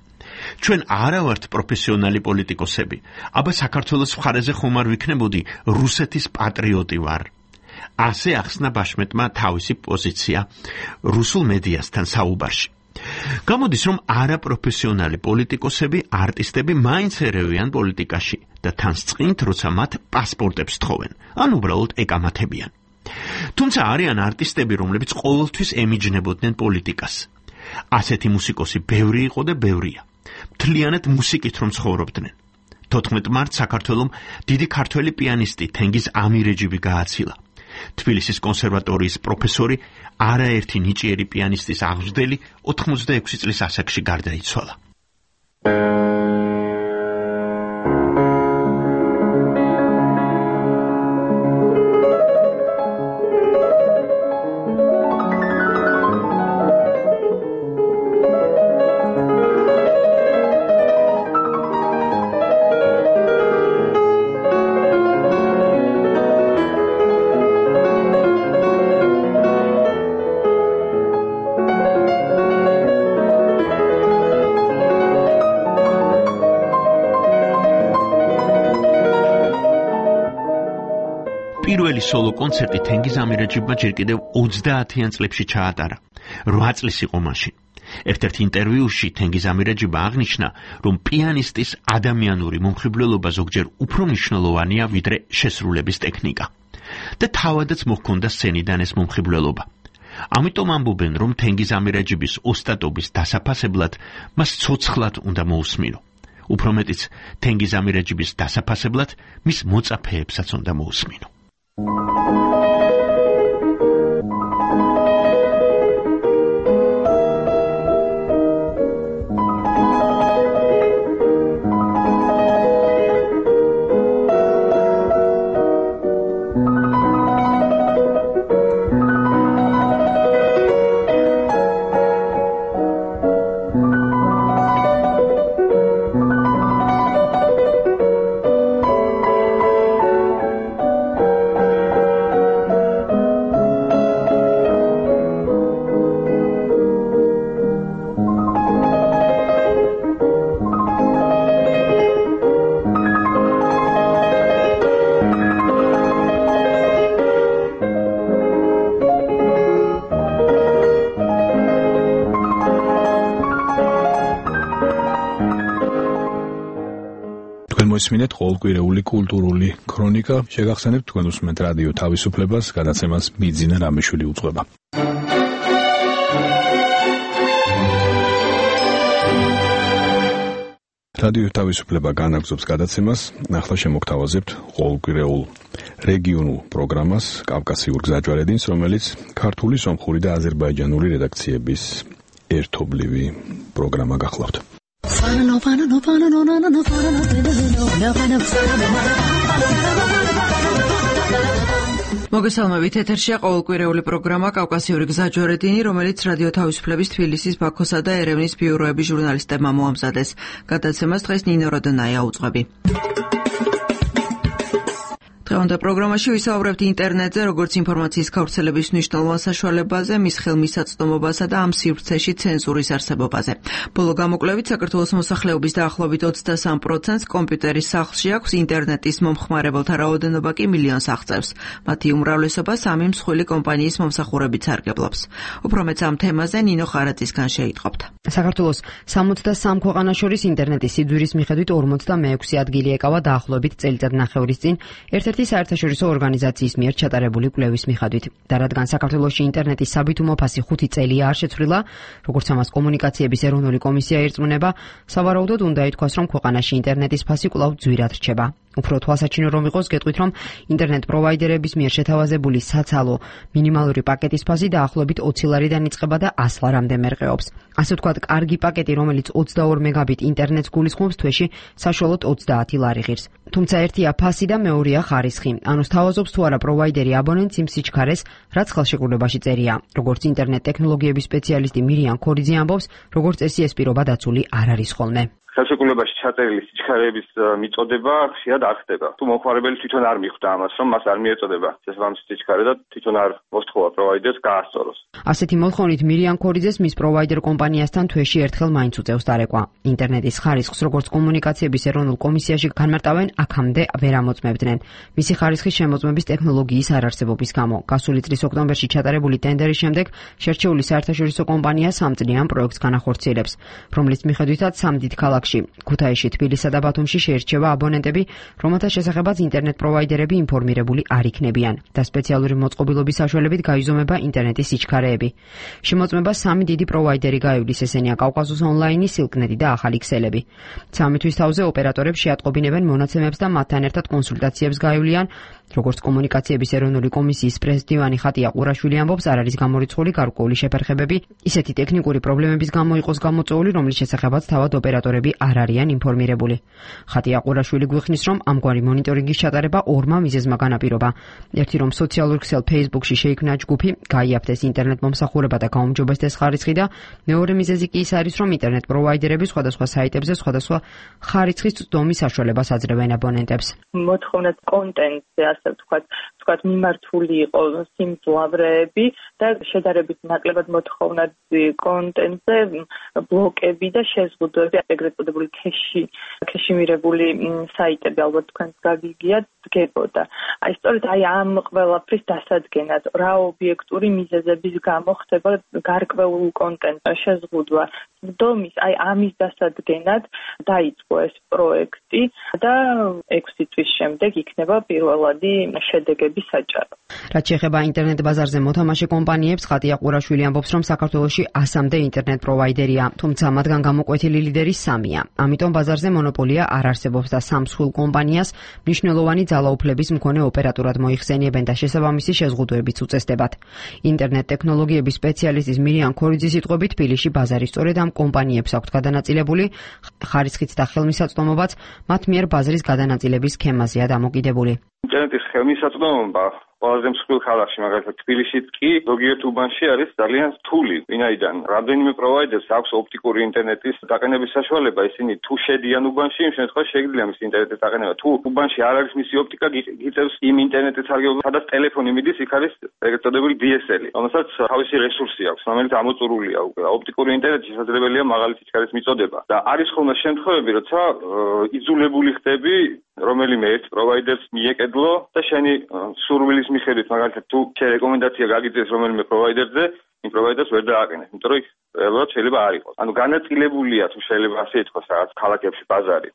ჩვენ არა ვართ პროფესიონალი პოლიტიკოსები, აბა საქართველოს მხარეზე ხომ არ ვიქნებოდი რუსეთის პატრიოტი ვარ. ასე ახსნა ბაშმეტმა თავისი პოზიცია რუსულ მედიასთან საუბარში. გამოდის, რომ არაპროფესიონალი პოლიტიკოსები, არტისტები მაინც ერევიან პოლიტიკაში და თან წყინთ, როცა მათ პასპორტებს თხოვენ, ან უბრალოდ ეკამათებიან. თუმცა არიან არტისტები, რომლებიც ყოველთვის ემიჯნებოდნენ პოლიტიკას. ასეთი მუსიკოსი ბევრი იყო და ბევრია. მთლიანად მუსიკით რომ ცხოვრობდნენ. 14 მარტს საქართველომ დიდი ქართველი პიანისტი თენგიზ ამირეჯიბი გააცილა. თბილისის კონსერვატორიის პროფესორი, არაერთი ნიჭიერი პიანისტის აღმზრდელი 86 წლის ასაკში გარდაიცვალა. პირველი სოლო კონცერტი თენგიზ ამირეჯიბმა ჯერ კიდევ 30-იან წლებში ჩაატარა. 8 წლის იყო მაშინ. ერთ-ერთ ინტერვიუში თენგიზ ამირეჯიბა აღნიშნა, რომ პიანისტის ადამიანური მომხიბვლელობა ზოგჯერ უფრო მნიშვნელოვანია, ვიდრე შესრულების ტექნიკა. და თავადაც მოჰქონდა სცენიდან ეს მომხიბვლელობა. ამიტომ ამბობენ, რომ თენგიზ ამირეჯიბის ოსტატობის დასაფასებლად მას ცოცხლად უნდა მოусმინო. უფრო მეტიც, თენგიზ ამირეჯიბის დასაფასებლად მის მოწაფეებსაც უნდა მოусმინო. მოისმინეთ ყოველკვირეული კულტურული ქრონიკა. შეგახსენებთ თქვენ უსმენთ რადიო თავისუფლებას, გადაცემას მიძინა რამიშვილი უძღვება. რადიო თავისუფლება განაგრძობს გადაცემას. ახლა შემოგთავაზებთ ყოველკვირეულ რეგიონულ პროგრამას კავკასიურ გზაჯვარედინს, რომელიც ქართული, სომხური და აზერბაიჯანული რედაქციების ერთობლივი პროგრამა გახლავთ. მოგესალმებით, ეთერშია ყოველკვირეული პროგრამა კავკასიური გზაჯვარედინი, რომელიც რადიო თავისუფლების თბილისის, ბაქოსა და ერევნის ბიუროების ჟურნალისტებმა მოამზადეს. გადაცემას დღეს ნინო როდონაია უძღვები. დღევანდელ პროგრამაში ვისაუბრებთ ინტერნეტზე, როგორც ინფორმაციის გავრცელების მნიშვნელოვან საშუალებაზე, მის ხელმისაწვდომობასა და ამ სივრცეში ცენზურის არსებობაზე. ბოლო გამოკვლევით საქართველოს მოსახლეობის დაახლოებით 23%-ს კომპიუტერის სახლში აქვს, ინტერნეტის მომხმარებელთა რაოდენობა კი მილიონს აღწევს. მათი უმრავლესობა სამი მსხვილი კომპანიის მომსახურებით სარგებლობს. უფრო მეც ამ თემაზე ნინო ხარაძისგან შეიტყობთ. საქართველოს 63 ქვეყანას შორის ინტერნეტის სიძვირის მიხედვით 46 ადგილი ეკავა დაახლოებით წელიწადნახევრის წინ ერთ-ერთი ერთმანეთი საერთაშორისო ორგანიზაციის მიერ ჩატარებული კვლევის მიხედვით. და რადგან საქართველოში ინტერნეტის საბითუმო ფასი 5 წელია არ შეცვლილა, როგორც ამას კომუნიკაციების ეროვნული კომისია ირწმუნება, სავარაუდოდ უნდა ითქვას, რომ ქვეყანაში ინტერნეტის ფასი კვლავ ძვირად რჩება. უფრო თვალსაჩინო რომ იყოს, გეტყვით, რომ ინტერნეტ პროვაიდერების მიერ შეთავაზებული საცალო მინიმალური პაკეტის ფასი დაახლოებით 20 ლარიდან იწყება და 100 ლარამდე მერყეობს. ასე ვთქვათ, კარგი პაკეტი, რომელიც 22 მეგაბიტ ინტერნეტს გულისხმობს, თვეში საშუალოდ 30 ლარი ღირს. თუმცა ერთია ფასი და მეორეა ხარისხი. ანუ სთავაზობს თუ არა პროვაიდერი აბონენტს იმ სიჩქარეს, რაც ხელშეკრულებაში წერია. როგორც ინტერნეტ ტექნოლოგიების სპეციალისტი მირიან ქორიძე ამბობს, როგორც წესი ეს პირობა დაცული არ არის ხოლმე. ხელშეკრულებაში ჩაწერილი სიჩქარეების მიწოდება ხშირად არ ხდება. თუ მომხმარებელი თვითონ არ მიხვდა ამას, რომ მას არ მიეწოდება შესაბამისი სიჩქარე და თვითონ არ მოსთხოვა პროვაიდერს გაასწოროს. ასეთი მოთხოვნით მირიან ქორიძეს მის პროვაიდერ კომპანიასთან თვეში ერთხელ მაინც უწევს დარეკვა. ინტერნეტის ხარისხს როგორც კომუნიკაციების ეროვნულ კომისიაში განმარტავენ, აქამდე ვერ ამოწმებდნენ. მისი ხარისხის შემოწმების ტექნოლოგიის არარსებობის გამო. გასული წლის ოქტომბერში ჩატარებული ტენდერის შემდეგ შერჩეული საერთაშორისო კომპანია 3 წლიან პროექტს განახორციელებს, რომლის მიხედვითაც 3 დიდ ქალაქში ქუთაისში, თბილისსა და ბათუმში შეირჩევა აბონენტები, რომელთა შესახებაც ინტერნეტ პროვაიდერები ინფორმირებული არ იქნებიან და სპეციალური მოწყობილობის საშუალებით გაიზომება ინტერნეტის სიჩქარეები. შემოწმება 3 დიდი პროვაიდერი გაივლის, ესენია კავკასუს ონლაინი, სილკნეტი და ახალი ქსელები. 3 თვის თავზე ოპერატორებს შეატყობინებენ მონაცემებს და მათთან ერთად კონსულტაციებს გაივლიან. როგორც კომუნიკაციების ეროვნული კომისიის პრეზიდენტი ხატია ყურაშვილი ამბობს, არ არის გამორიცხული გარკვეული შეფერხებები, ისეთი ტექნიკური პრობლემების გამო იყოს გამოწვეული, რომლის შესახებაც თავად ოპერატორები არ არიან ინფორმირებული. ხატია ყურაშვილი გვიხსნის, რომ ამგვარი მონიტორინგის ჩატარება 2 მიზეზმა განაპირობა. ერთი, რომ სოციალურ ქსელ Facebook-ში შეიქმნა ჯგუფი, გაიაფთეს ინტერნეტ მომსახურება და გაუმჯობესდეს ხარისხი და მეორე მიზეზი კი ის არის, რომ ინტერნეტ პროვაიდერები სხვადასხვა საიტებზე სხვადასხვა ხარისხის წვდომის საშუალებას აძლევენ აბონენტებს. მოთხოვნა კონტენტზე, ასე ვთქვათ, მიმართული იყო სიმძლავრეები და შედარებით ნაკლებად მოთხოვნა კონტენტზე ბლოკები და შეზღუდვები, ეგრეთ წოდებული ქეშიმირებული საიტები, ალბათ თქვენს გაგიგიათ, დგებოდა. სწორედ ამ ყველაფრის დასადგენად, რა ობიექტური მიზეზების გამო ხდება გარკვეულ კონტენტს შეზღუდვა. დომის ამის დასადგენად დაიწყო ეს პროექტი და 6 თვის შემდეგ იქნება პირველადი შედეგები საჭარო. რაც შეეხება ინტერნეტ ბაზარზე მოთამაშე კომპანიებს, ხატია ყურაშვილი ამბობს, რომ საქართველოში 100-მდე ინტერნეტ პროვაიდერია, თუმცა მათგან გამოკვეთილი ლიდერი 3-ია. ამიტომ ბაზარზე მონოპოლია არ არსებობს და 3 მსხვილ კომპანიას მნიშვნელოვანი ძალაუფლების მქონე ოპერატორად მოიხსენიებენ და შესაბამისი შეზღუდვებიც უწესდებათ. ინტერნეტ ტექნოლოგიების სპეციალისტის მირიან ქორიძის სიტყვებით, თბილისში ბაზარი სწორედ ამ კომპანიებს აქვთ გადანაწილებული, ხარისხით და ხელმისაწვდომობაც მათ მიერ ბაზრის გადანაწილების სქემაზეა დამოკიდებული. ინტერნეტის ხელმისაწვდომობა ყველაზე მსხვილ ქალაქში, მაგალითად თბილისშიც კი ზოგიერთ უბანში არის ძალიან რთული, ვინაიდან რამდენიმე პროვაიდერს აქვს ოპტიკური ინტერნეტის დაყენების საშუალება, ისინი თუ შედიან უბანში, იმ შემთხვევაში შეგვიძლია მის ინტერნეტის დაყენება. თუ უბანში არ არის მისი ოპტიკა, გიწევს იმ ინტერნეტის სარგებლობა, სადაც ტელეფონი მიდის, იქ არის ეგრეთ წოდებული DSL, რომელსაც თავისი რესურსი აქვს, რომელიც ამოწურულია უკვე. ოპტიკური ინტერნეტი შესაძლებელია მაღალი სიჩქარის მიწოდება და არის ხოლმე შემთხვევები, როცა იძულებული ხდები რომელიმე ერთ პროვაიდერს მიეკედლო და შენი სურვილის მიხედვით, მაგალითად, თუ რეკომენდაცია გაგიწევს რომელიმე პროვაიდერზე, იმ პროვაიდერს ვერ დააყენე, იმიტომ რომ იქ რეალურად შეიძლება არ იყოს. ანუ განაწილებულია, თუ შეიძლება ასე ითქვას, რაღაც ქალაქებში ბაზარი.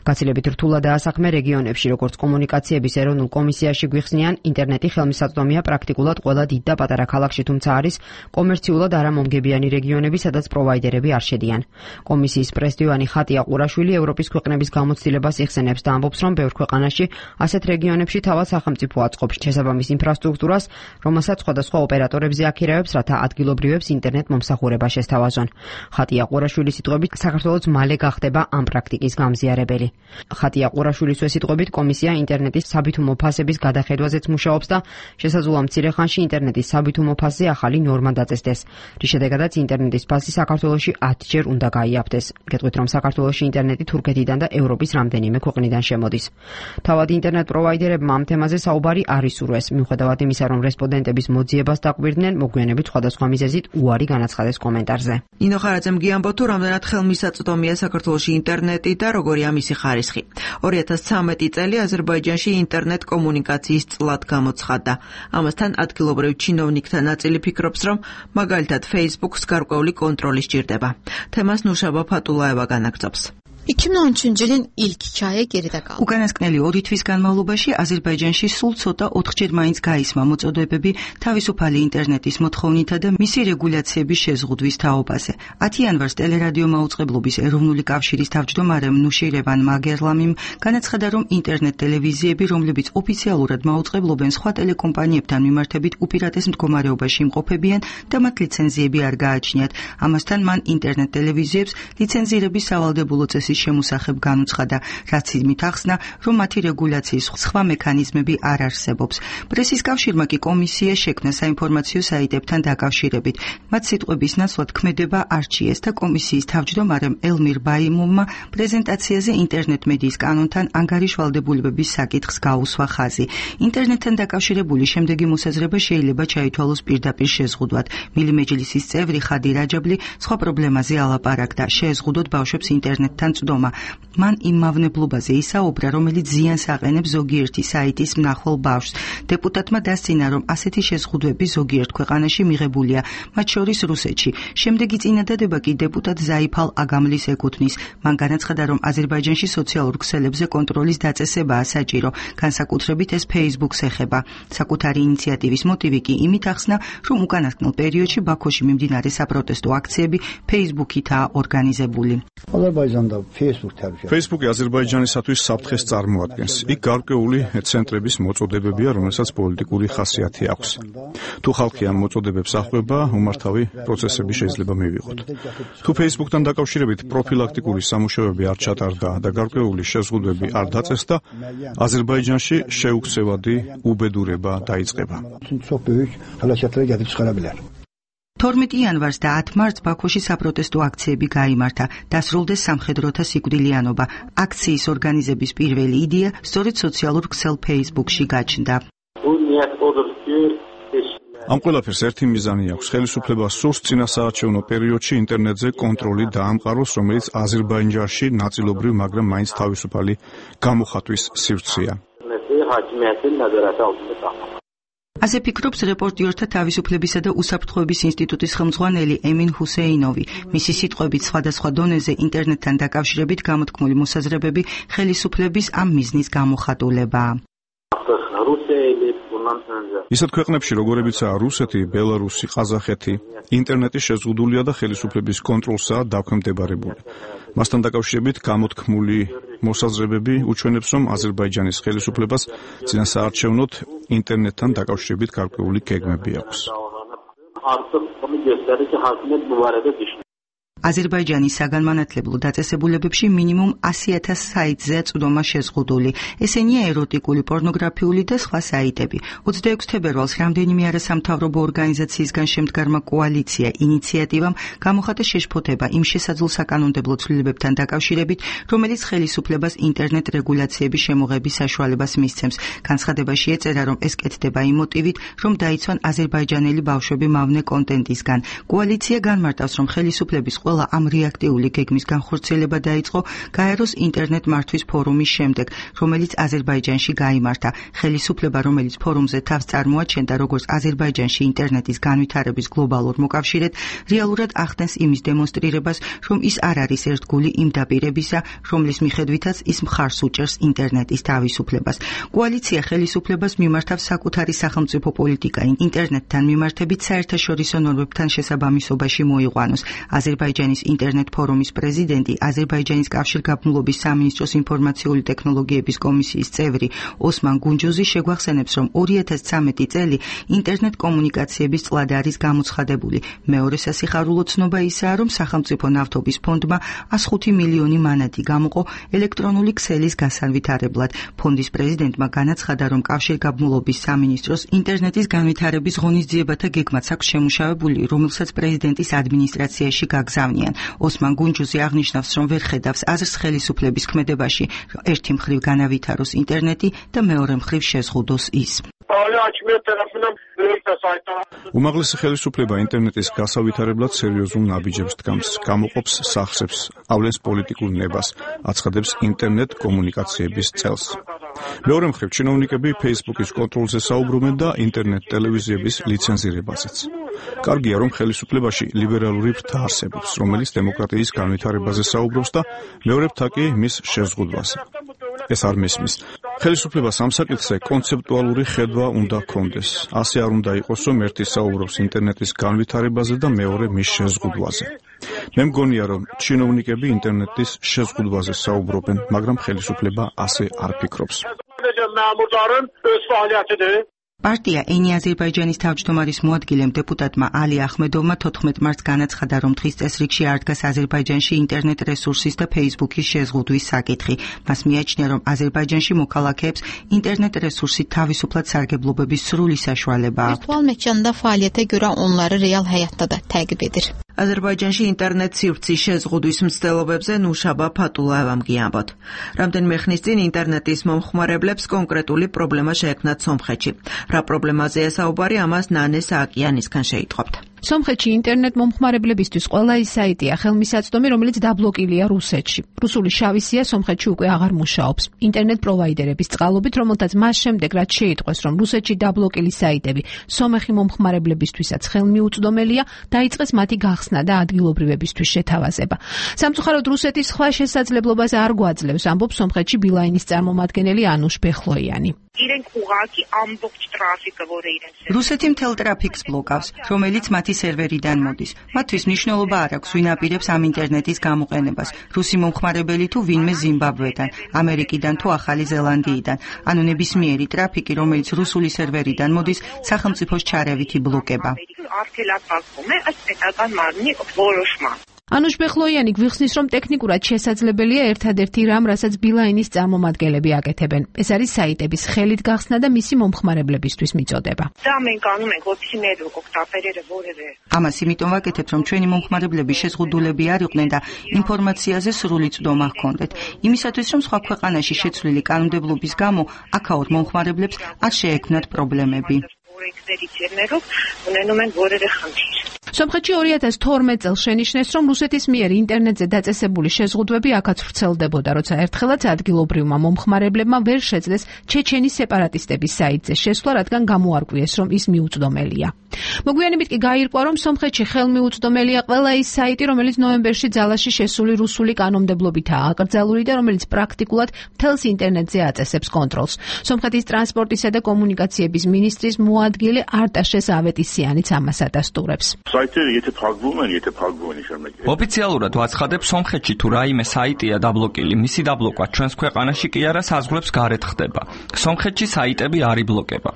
გაცილებით რთულადაა საქმე რეგიონებში, როგორც კომუნიკაციების ეროვნულ კომისიაში გვიხსნიან, ინტერნეტი ხელმისაწვდომია პრაქტიკულად ყველა დიდ და პატარა ქალაქში, თუმცა არის კომერციულად არამომგებიანი რეგიონები, სადაც პროვაიდერები არ შედიან. კომისიის პრეზიდენტი ხატია ყურაშვილი ევროპის ქვეყნების გამოცდილებას იხსენებს და ამბობს, რომ ბევრ ქვეყანაში ასეთ რეგიონებში თავად სახელმწიფო აწყობს შესაბამის ინფრასტრუქტურას, რომელსაც სხვადასხვა ოპერატორებზე აქირავებს, რათა ადგილობრივებს ინტერნეტ მომსახურება შესთავაზონ. ხატია ყურაშვილის სიტყვებით, საქართველოს მალე გახდება ამ პრაქტიკის გამზიარებელი. ხატია ყურაშვილის სიტყვებით, კომისია ინტერნეტის საბითუმო ფასების გადახედვაზეც მუშაობს და შესაძლოა მცირე ხანში ინტერნეტის საბითუმო ფასზე ახალი ნორმა დაწესდეს, რის შედეგადაც ინტერნეტის ფასი საქართველოში 10-ჯერ უნდა გაიაფთეს. გეტყვით, რომ საქართველოში ინტერნეტი თურქეთიდან და ევროპის რამდენიმე ქვეყნიდან შემოდის. თავად ინტერნეტ პროვაიდერებმა ამ თემაზე საუბარი არ ისურვეს, მიუხედავად იმისა, რომ რესპონდენტების მოძიებას დაკვირდნენ, მოგვიანებით სხვადასხვა მიზეზით უარი განაცხადეს კომენტარზე. ნინო ხარაძემ გიამბო, თუ რამდენად ხელმისაწვდომია საქართველოში ინტერნეტი და როგორია მისი ხარისხი. 2013 წელი აზერბაიჯანში ინტერნეტ კომუნიკაციის წლად გამოცხადდა. ამასთან ადგილობრივ ჩინოვნიკთა ნაწილი ფიქრობს, რომ მაგალითად Facebook-ს გარკვეული კონტროლი სჭირდება. თემას ნუშაბა ფატულაევა განაგრძობს. 2013 ilk hikaye geride kaldı. უკანასკნელი 2 თვის განმავლობაში აზერბაიჯანში სულ ცოტა 4-ჯერ მაინც გაისმა მოწოდებები თავისუფალი ინტერნეტის მოთხოვნითა და მისი რეგულაციების შეზღუდვის თაობაზე. 10 იანვარს ტელერადიო მაუწყებლობის ეროვნული კავშირის თავმჯდომარემ ნუშირევან მაგერლამიმ განაცხადა, რომ ინტერნეტ ტელევიზიები, რომლებიც ოფიციალურად მაუწყებლობენ სხვა ტელეკომპანიებთან მიმართებით უპირატეს მდგომარეობაში იმყოფებიან და მათ ლიცენზიები არ გააჩნიათ. ამასთან მან ინტერნეტ ტელევიზიებს ლიცენზირების სავალდებულო წესის შემოსახებ განუცხადა, რაც იმით ახსნა, რომ მათი რეგულაციის სხვა მექანიზმები არ არსებობს. პრესის კავშირმა კი კომისია შექმნა საინფორმაციო საიტებთან დაკავშირებით. მათ სიტყვების ნაცვლად ქმედება არჩიეს და კომისიის თავმჯდომარემ ელმირ ბაიმოვმა პრეზენტაციაზე ინტერნეტ მედიის კანონთან ანგარიშვალდებულებების საკითხს გაუსვა ხაზი. ინტერნეტთან დაკავშირებული შემდეგი მოსაზრება შეიძლება ჩაითვალოს პირდაპირ შეზღუდვად. მილიმეჯლისის წევრი ხადი რაჯაბლი სხვა პრობლემაზე ალაპარაკდა, შეზღუდოთ ბავშვებს ინტერნეტთან წვდომა. მან იმ მავნებლობაზე ისაუბრა, რომელიც ზიანს აყენებს ზოგიერთი საიტის მნახვალ ბავშვს. დეპუტატმა დასცინა, რომ ასეთი შეზღუდვები ზოგიერთ ქვეყანაში მიღებულია, მათ შორის რუსეთში. შემდეგი წინადადება კი დეპუტატ ზაიფალ აგამლის ეკუთვნის. მან განაცხადა, რომ აზერბაიჯანში სოციალურ ქსელებზე კონტროლის დაწესებაა საჭირო, განსაკუთრებით ეს Facebook-ს ეხება. საკუთარი ინიციატივის მოტივი კი იმით ახსნა, რომ უკანასკნელ პერიოდში ბაქოში მიმდინარე საპროტესტო აქციები Facebook-ითაა ორგანიზებული. Facebook-ი აზერბაიჯანისათვის საფრთხეს წარმოადგენს. იქ გარკვეული ცენტრების მოწოდებებია, რომელსაც პოლიტიკური ხასიათი აქვს. თუ ხალხი ამ მოწოდებებს ახвеბა, უმართავი პროცესები შეიძლება მივიღოთ. თუ Facebook-თან დაკავშირებით პროფილაქტიკური სამუშაოები არ ჩატარდა და გარკვეული შეზღუდვები არ დაწესდა, აზერბაიჯანში შეუქცევადი უბედურება დაიწყება. 12 იანვარს და 10 მარტს ბაქოში საპროტესტო აქციები გაიმართა. დასრულდეს სამხედროთა სიკვდილიანობა. აქციის ორგანიზების პირველი იდეა სწორედ სოციალურ ქსელ Facebook-ში გაჩნდა. ამ ყველაფერს ერთი მიზანი აქვს: ხელისუფლებას სურს წინასაარჩევნო პერიოდში ინტერნეტზე კონტროლი დაამყაროს, რომელიც აზერბაიჯანში ნაწილობრივ, მაგრამ მაინც თავისუფალი გამოხატვის სივრცეა. ასე ფიქრობს რეპორტიორთა თავისუფლებისა და უსაფრთხოების ინსტიტუტის ხელმძღვანელი ემინ ჰუსეინოვი. მისი სიტყვებით, სხვადასხვა დონეზე ინტერნეტთან დაკავშირებით გამოთქმული მოსაზრებები ხელისუფლების ამ მიზნის გამოხატულებაა. ისეთ ქვეყნებში, როგორებიცაა რუსეთი, ბელარუსი, ყაზახეთი, ინტერნეტი შეზღუდულია და ხელისუფლების კონტროლსაა დაქვემდებარებული. მასთან დაკავშირებით გამოთქმული მოსაზრებები უჩვენებს, რომ აზერბაიჯანის ხელისუფლებას წინასაარჩევნოდ ინტერნეტთან დაკავშირებით გარკვეული გეგმები აქვს. აზერბაიჯანის საგანმანათლებლო დაწესებულებებში მინიმუმ 100,000 საიტზეა წვდომა შეზღუდული. ესენია ეროტიკული, პორნოგრაფიული და სხვა საიტები. 26 თებერვალს რამდენიმე არასამთავრობო ორგანიზაციისგან შემდგარმა კოალიცია ინიციატივამ გამოხატა შეშფოთება იმ შესაძლო საკანონმდებლო ცვლილებებთან დაკავშირებით, რომელიც ხელისუფლებას ინტერნეტ რეგულაციების შემოღების საშუალებას მისცემს. განცხადებაში ეწერა, რომ ეს კეთდება იმ მოტივით, რომ დაიცვან აზერბაიჯანელი ბავშვები მავნე კონტენტისგან. კოალიცია განმარტავს, რომ ხელისუფლების ყველა ამ რეაქტიული გეგმის განხორციელება დაიწყო გაეროს ინტერნეტ მართვის ფორუმის შემდეგ, რომელიც აზერბაიჯანში გაიმართა. ხელისუფლება, რომელიც ფორუმზე თავს წარმოაჩენდა როგორც აზერბაიჯანში ინტერნეტის განვითარების გლობალურ მოკავშირედ, რეალურად ახდენს იმის დემონსტრირებას, რომ ის არ არის ერთგული იმ დაპირებისა, რომლის მიხედვითაც ის მხარს უჭერს ინტერნეტის თავისუფლებას. კოალიცია ხელისუფლებას მიმართავს საკუთარი სახელმწიფო პოლიტიკა ინტერნეტთან მიმართებით საერთაშორისო ნორმებთან შესაბამისობაში მოიყვანოს. აზერბაიჯანის ინტერნეტ ფორუმის პრეზიდენტი, აზერბაიჯანის კავშირგაბმულობის სამინისტროს ინფორმაციული ტექნოლოგიების კომისიის წევრი ოსმან გუნჯუზი შეგვახსენებს, რომ 2013 წელი ინტერნეტ კომუნიკაციების წლად არის გამოცხადებული. მეორე სასიხარულო ცნობა ისაა, რომ სახელმწიფო ნავთობის ფონდმა 105 მილიონი მანატი გამოყო ელექტრონული ქსელის გასანვითარებლად. ფონდის პრეზიდენტმა განაცხადა, რომ კავშირგაბმულობის სამინისტროს ინტერნეტის განვითარების ღონისძიებათა გეგმაც აქვს შემუშავებული, რომელსაც პრეზიდენტის ადმინისტრაციაში გაგზავნიან. ოსმან გუნჯუზი აღნიშნავს, რომ ვერ ხედავს აზრს ხელისუფლების ქმედებაში, ერთი მხრივ განავითაროს ინტერნეტი და მეორე მხრივ შეზღუდოს ის. უმაღლესი ხელისუფლება ინტერნეტის გასავითარებლად სერიოზულ ნაბიჯებს დგამს, გამოყოფს სახსრებს, ავლენს პოლიტიკურ ნებას, აცხადებს ინტერნეტ კომუნიკაციების წელს. მეორე მხრივ, ჩინოვნიკები Facebook-ის კონტროლზე საუბრობენ და ინტერნეტ ტელევიზიების ლიცენზირებაზეც. კარგია, რომ ხელისუფლებაში ლიბერალური ფრთა არსებობს, რომელიც დემოკრატიის განვითარებაზე საუბრობს და მეორე ფრთა კი მის შეზღუდვაზე. ეს არ მესმის. ხელისუფლებას ამ საკითხზე კონცეპტუალური ხედვა უნდა ჰქონდეს. ასე არ უნდა იყოს, რომ ერთი საუბრობს ინტერნეტის განვითარებაზე და მეორე მის შეზღუდვაზე. მე მგონია, რომ ჩინოვნიკები ინტერნეტის შეზღუდვაზე საუბრობენ, მაგრამ ხელისუფლება ასე არ ფიქრობს. პარტია ენი აზერბაიჯანის თავმჯდომარის მოადგილემ დეპუტატმა ალი ახმედოვმა 14 მარტს განაცხადა, რომ დღის წესრიგში არ დგას აზერბაიჯანში ინტერნეტ რესურსის და Facebook-ის შეზღუდვის საკითხი. მას მიაჩნია, რომ აზერბაიჯანში მოქალაქეებს ინტერnet რესურსით თავისუფლად სარგებლობების სრული საშუალება აქვს. Virtual məkanda fəaliyyətə görə onları real həyatda da təqib edir. აზერბაიჯანში ინტერნეტ სივრცის შეზღუდვის მცდელობებზე ნუშაბა ფატულაევამ გიამბოთ. რამდენიმე ხნის წინ ინტერნეტის მომხმარებლებს კონკრეტული პრობლემა შეექმნათ სომხეთში. რა პრობლემაზეა საუბარი, ამას ნანე სააკიანისგან შეიტყობთ. სომხეთში ინტერნეტ მომხმარებლებისთვის ყველა ის საიტია ხელმისაწვდომი, რომელიც დაბლოკილია რუსეთში. რუსული შავი სია სომხეთში უკვე აღარ მუშაობს. ინტერნეტ პროვაიდერების წყალობით, რომელთაც მას შემდეგ რაც შეიტყვეს, რომ რუსეთში დაბლოკილი საიტები სომეხი მომხმარებლებისთვისაც ხელმიუწვდომელია, დაიწყეს მათი გახსნა და ადგილობრივებისთვის შეთავაზება. სამწუხაროდ რუსეთის სხვა შესაძლებლობას არ გვაძლევს, ამბობს სომხეთში ბილაინის წარმომადგენელი ანუშ ბეხლოიანი. რუსეთი მთელ ტრაფიკს ბლოკავს, რომელიც მათი სერვერიდან მოდის. მათთვის მნიშვნელობა არ აქვს, ვინ აპირებს ამ ინტერნეტის გამოყენებას. რუსი მომხმარებელი თუ ვინმე ზიმბაბვედან, ამერიკიდან თუ ახალი ზელანდიიდან. ანუ ნებისმიერი ტრაფიკი, რომელიც რუსული სერვერიდან მოდის, სახელმწიფოს ჩარევით იბლოკება. ანუშ ბეხლოიანი გვიხსნის, რომ ტექნიკურად შესაძლებელია ერთადერთი რამ, რასაც ბილაინის წარმომადგენლები აკეთებენ. ეს არის საიტების ხელით გახსნა და მისი მომხმარებლებისთვის მიწოდება. ამას იმიტომ ვაკეთებ, რომ ჩვენი მომხმარებლები შეზღუდულები არ იყვნენ და ინფორმაციაზე სრული წვდომა ჰქონდეთ. იმისათვის, რომ სხვა ქვეყანაში შეცვლილი კანონმდებლობის გამო აქაურ მომხმარებლებს არ შეექმნათ პრობლემები. სომხეთში 2012 წელს შენიშნეს, რომ რუსეთის მიერ ინტერნეტზე დაწესებული შეზღუდვები აქაც ვრცელდებოდა, როცა ერთხელაც ადგილობრივმა მომხმარებლებმა ვერ შეძლეს ჩეჩენის სეპარატისტების საიტზე შესვლა, რადგან გამოარკვიეს, რომ ის მიუწვდომელია. მოგვიანებით კი გაირკვა, რომ სომხეთში ხელმიუწვდომელია ყველა ის საიტი, რომელიც ნოემბერში ძალაში შესული რუსული კანონმდებლობითაა აკრძალული და რომელიც პრაქტიკულად მთელს ინტერნეტზე აწესებს კონტროლს. სომხეთის ტრანსპორტისა და კომუნიკაციების მინისტრის მოადგილე არტაშეს ავეტისიანიც ამას ადასტურებს. ოფიციალურად ვაცხადებ, სომხეთში თუ რაიმე საიტია დაბლოკილი, მისი დაბლოკვა ჩვენს ქვეყანაში კი არა საზღვრებს გარეთ ხდება. სომხეთში საიტები არ იბლოკება.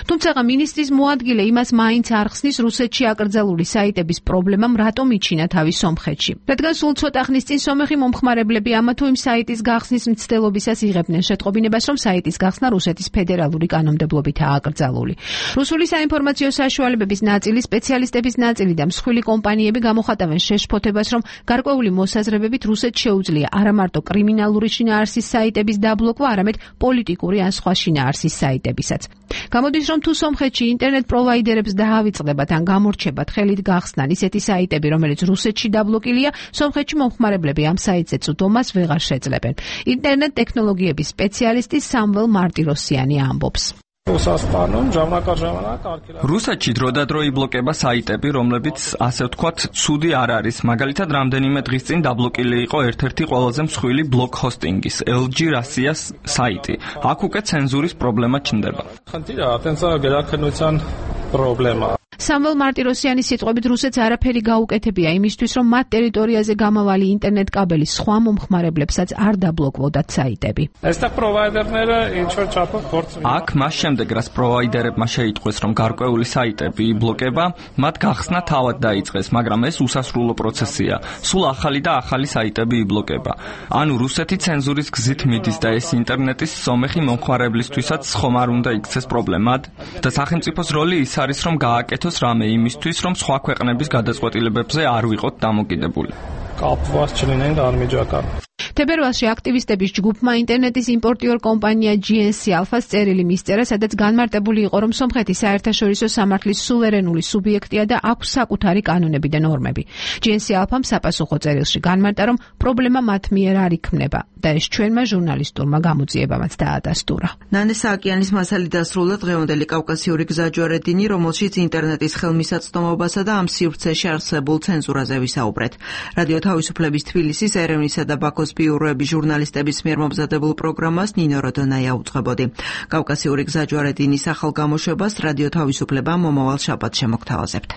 თუმცა მინისტრის მოადგილე იმას მაინც არ ხსნის, რუსეთში აკრძალული საიტების პრობლემამ რატომ იჩინა თავი სომხეთში. რადგან სულ ცოტა ხნის წინ სომეხი მომხმარებლები ამა თუ იმ საიტის გახსნის მცდელობისას იღებდნენ შეტყობინებას, რომ საიტის გახსნა რუსეთის ფედერალური კანონმდებლობითაა აკრძალული. რუსული საინფორმაციო საშუალებების ნაწილი, სპეციალისტების ნაწილი და მსხვილი კომპანიები გამოხატავენ შეშფოთებას, რომ გარკვეული მოსაზრებებით რუსეთს შეუძლია არა მარტო კრიმინალური შინაარსის საიტების დაბლოკვა, არამედ პოლიტიკური ან სხვა შინაარსის საიტებისაც. გამოდის, რომ თუ სომხეთში ინტერნეტ პროვაიდერებს დაავიწყდებათ ან გამორჩებათ ხელით გახსნან ისეთი საიტები, რომელიც რუსეთში დაბლოკილია, სომხეთში მომხმარებლები ამ საიტზე წვდომას ვეღარ შეძლებენ. ინტერნეტ ტექნოლოგიების სპეციალისტი სამվել მარტიროსიანი ამბობს. რუსეთში დროდადრო იბლოკება საიტები, რომლებიც ასე ვთქვათ, ცუდი არ არის. მაგალითად, რამდენიმე დღის წინ დაბლოკილი იყო ერთ-ერთი ყველაზე მსხვილი ბლოგ ჰოსტინგის LG Russia-ს საიტი. აქ უკვე ცენზურის პრობლემა ჩნდება. სამվել მარტიროსიანის სიტყვებით, რუსეთს არაფერი გაუკეთებია იმისთვის, რომ მათ ტერიტორიაზე გამავალი ინტერნეტ კაბელის სხვა მომხმარებლებსაც არ დაბლოკვოდათ საიტები. აქ მას შემდეგ, რაც პროვაიდერებმა შეიტყვეს, რომ გარკვეული საიტები იბლოკება, მათ გახსნა თავად დაიწყეს, მაგრამ ეს უსასრულო პროცესია. სულ ახალი და ახალი საიტები იბლოკება. ანუ რუსეთი ცენზურის გზით მიდის და ეს ინტერნეტის სომეხი მომხმარებლისთვისაც ხომ არ უნდა იქცეს პრობლემად? და სახელმწიფოს როლი ის არის, რომ გააკეთოს რამე იმისთვის, რომ სხვა ქვეყნების გადაწყვეტილებებზე არ ვიყოთ დამოკიდებული. თებერვალში აქტივისტების ჯგუფმა ინტერნეტის იმპორტიორ კომპანია GNC Alpha-ს წერილი მისწერა, სადაც განმარტებული იყო, რომ სომხეთი საერთაშორისო სამართლის სუვერენული სუბიექტია და აქვს საკუთარი კანონები და ნორმები. GNC Alpha-მ საპასუხო წერილში განმარტა, რომ პრობლემა მათ მიერ არ იქმნება და ეს ჩვენმა ჟურნალისტურმა გამოძიებამაც დაადასტურა. ნანე სააკიანის მასალი დასრულდა დღევანდელი კავკასიური გზაჯვარედინი, რომელშიც ინტერნეტის ხელმისაწვდომობასა და ამ სივრცეში არსებულ ცენზურაზე ვისაუბრეთ. რადიო თავისუფლების თბილისის, ერევნისა და ბაქოს ბიუროების ჟურნალისტების მიერ მომზადებულ პროგრამას ნინო როდონაია უძღვებოდი. კავკასიური გზაჯვარედინის ახალ გამოშვებას რადიო თავისუფლება მომავალ შაბათს შემოგთავაზებთ.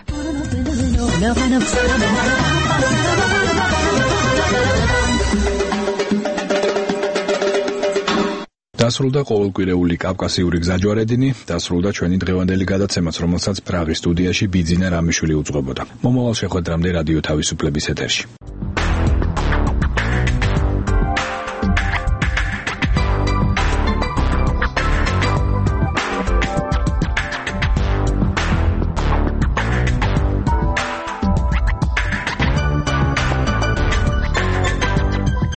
დასრულდა ყოველკვირეული კავკასიური გზაჯვარედინი, დასრულდა ჩვენი დღევანდელი გადაცემაც, რომელსაც პრაღის სტუდიაში ბიძინა რამიშვილი უძღვებოდა. მომავალ შეხვედრამდე რადიო თავისუფლების ეთერში.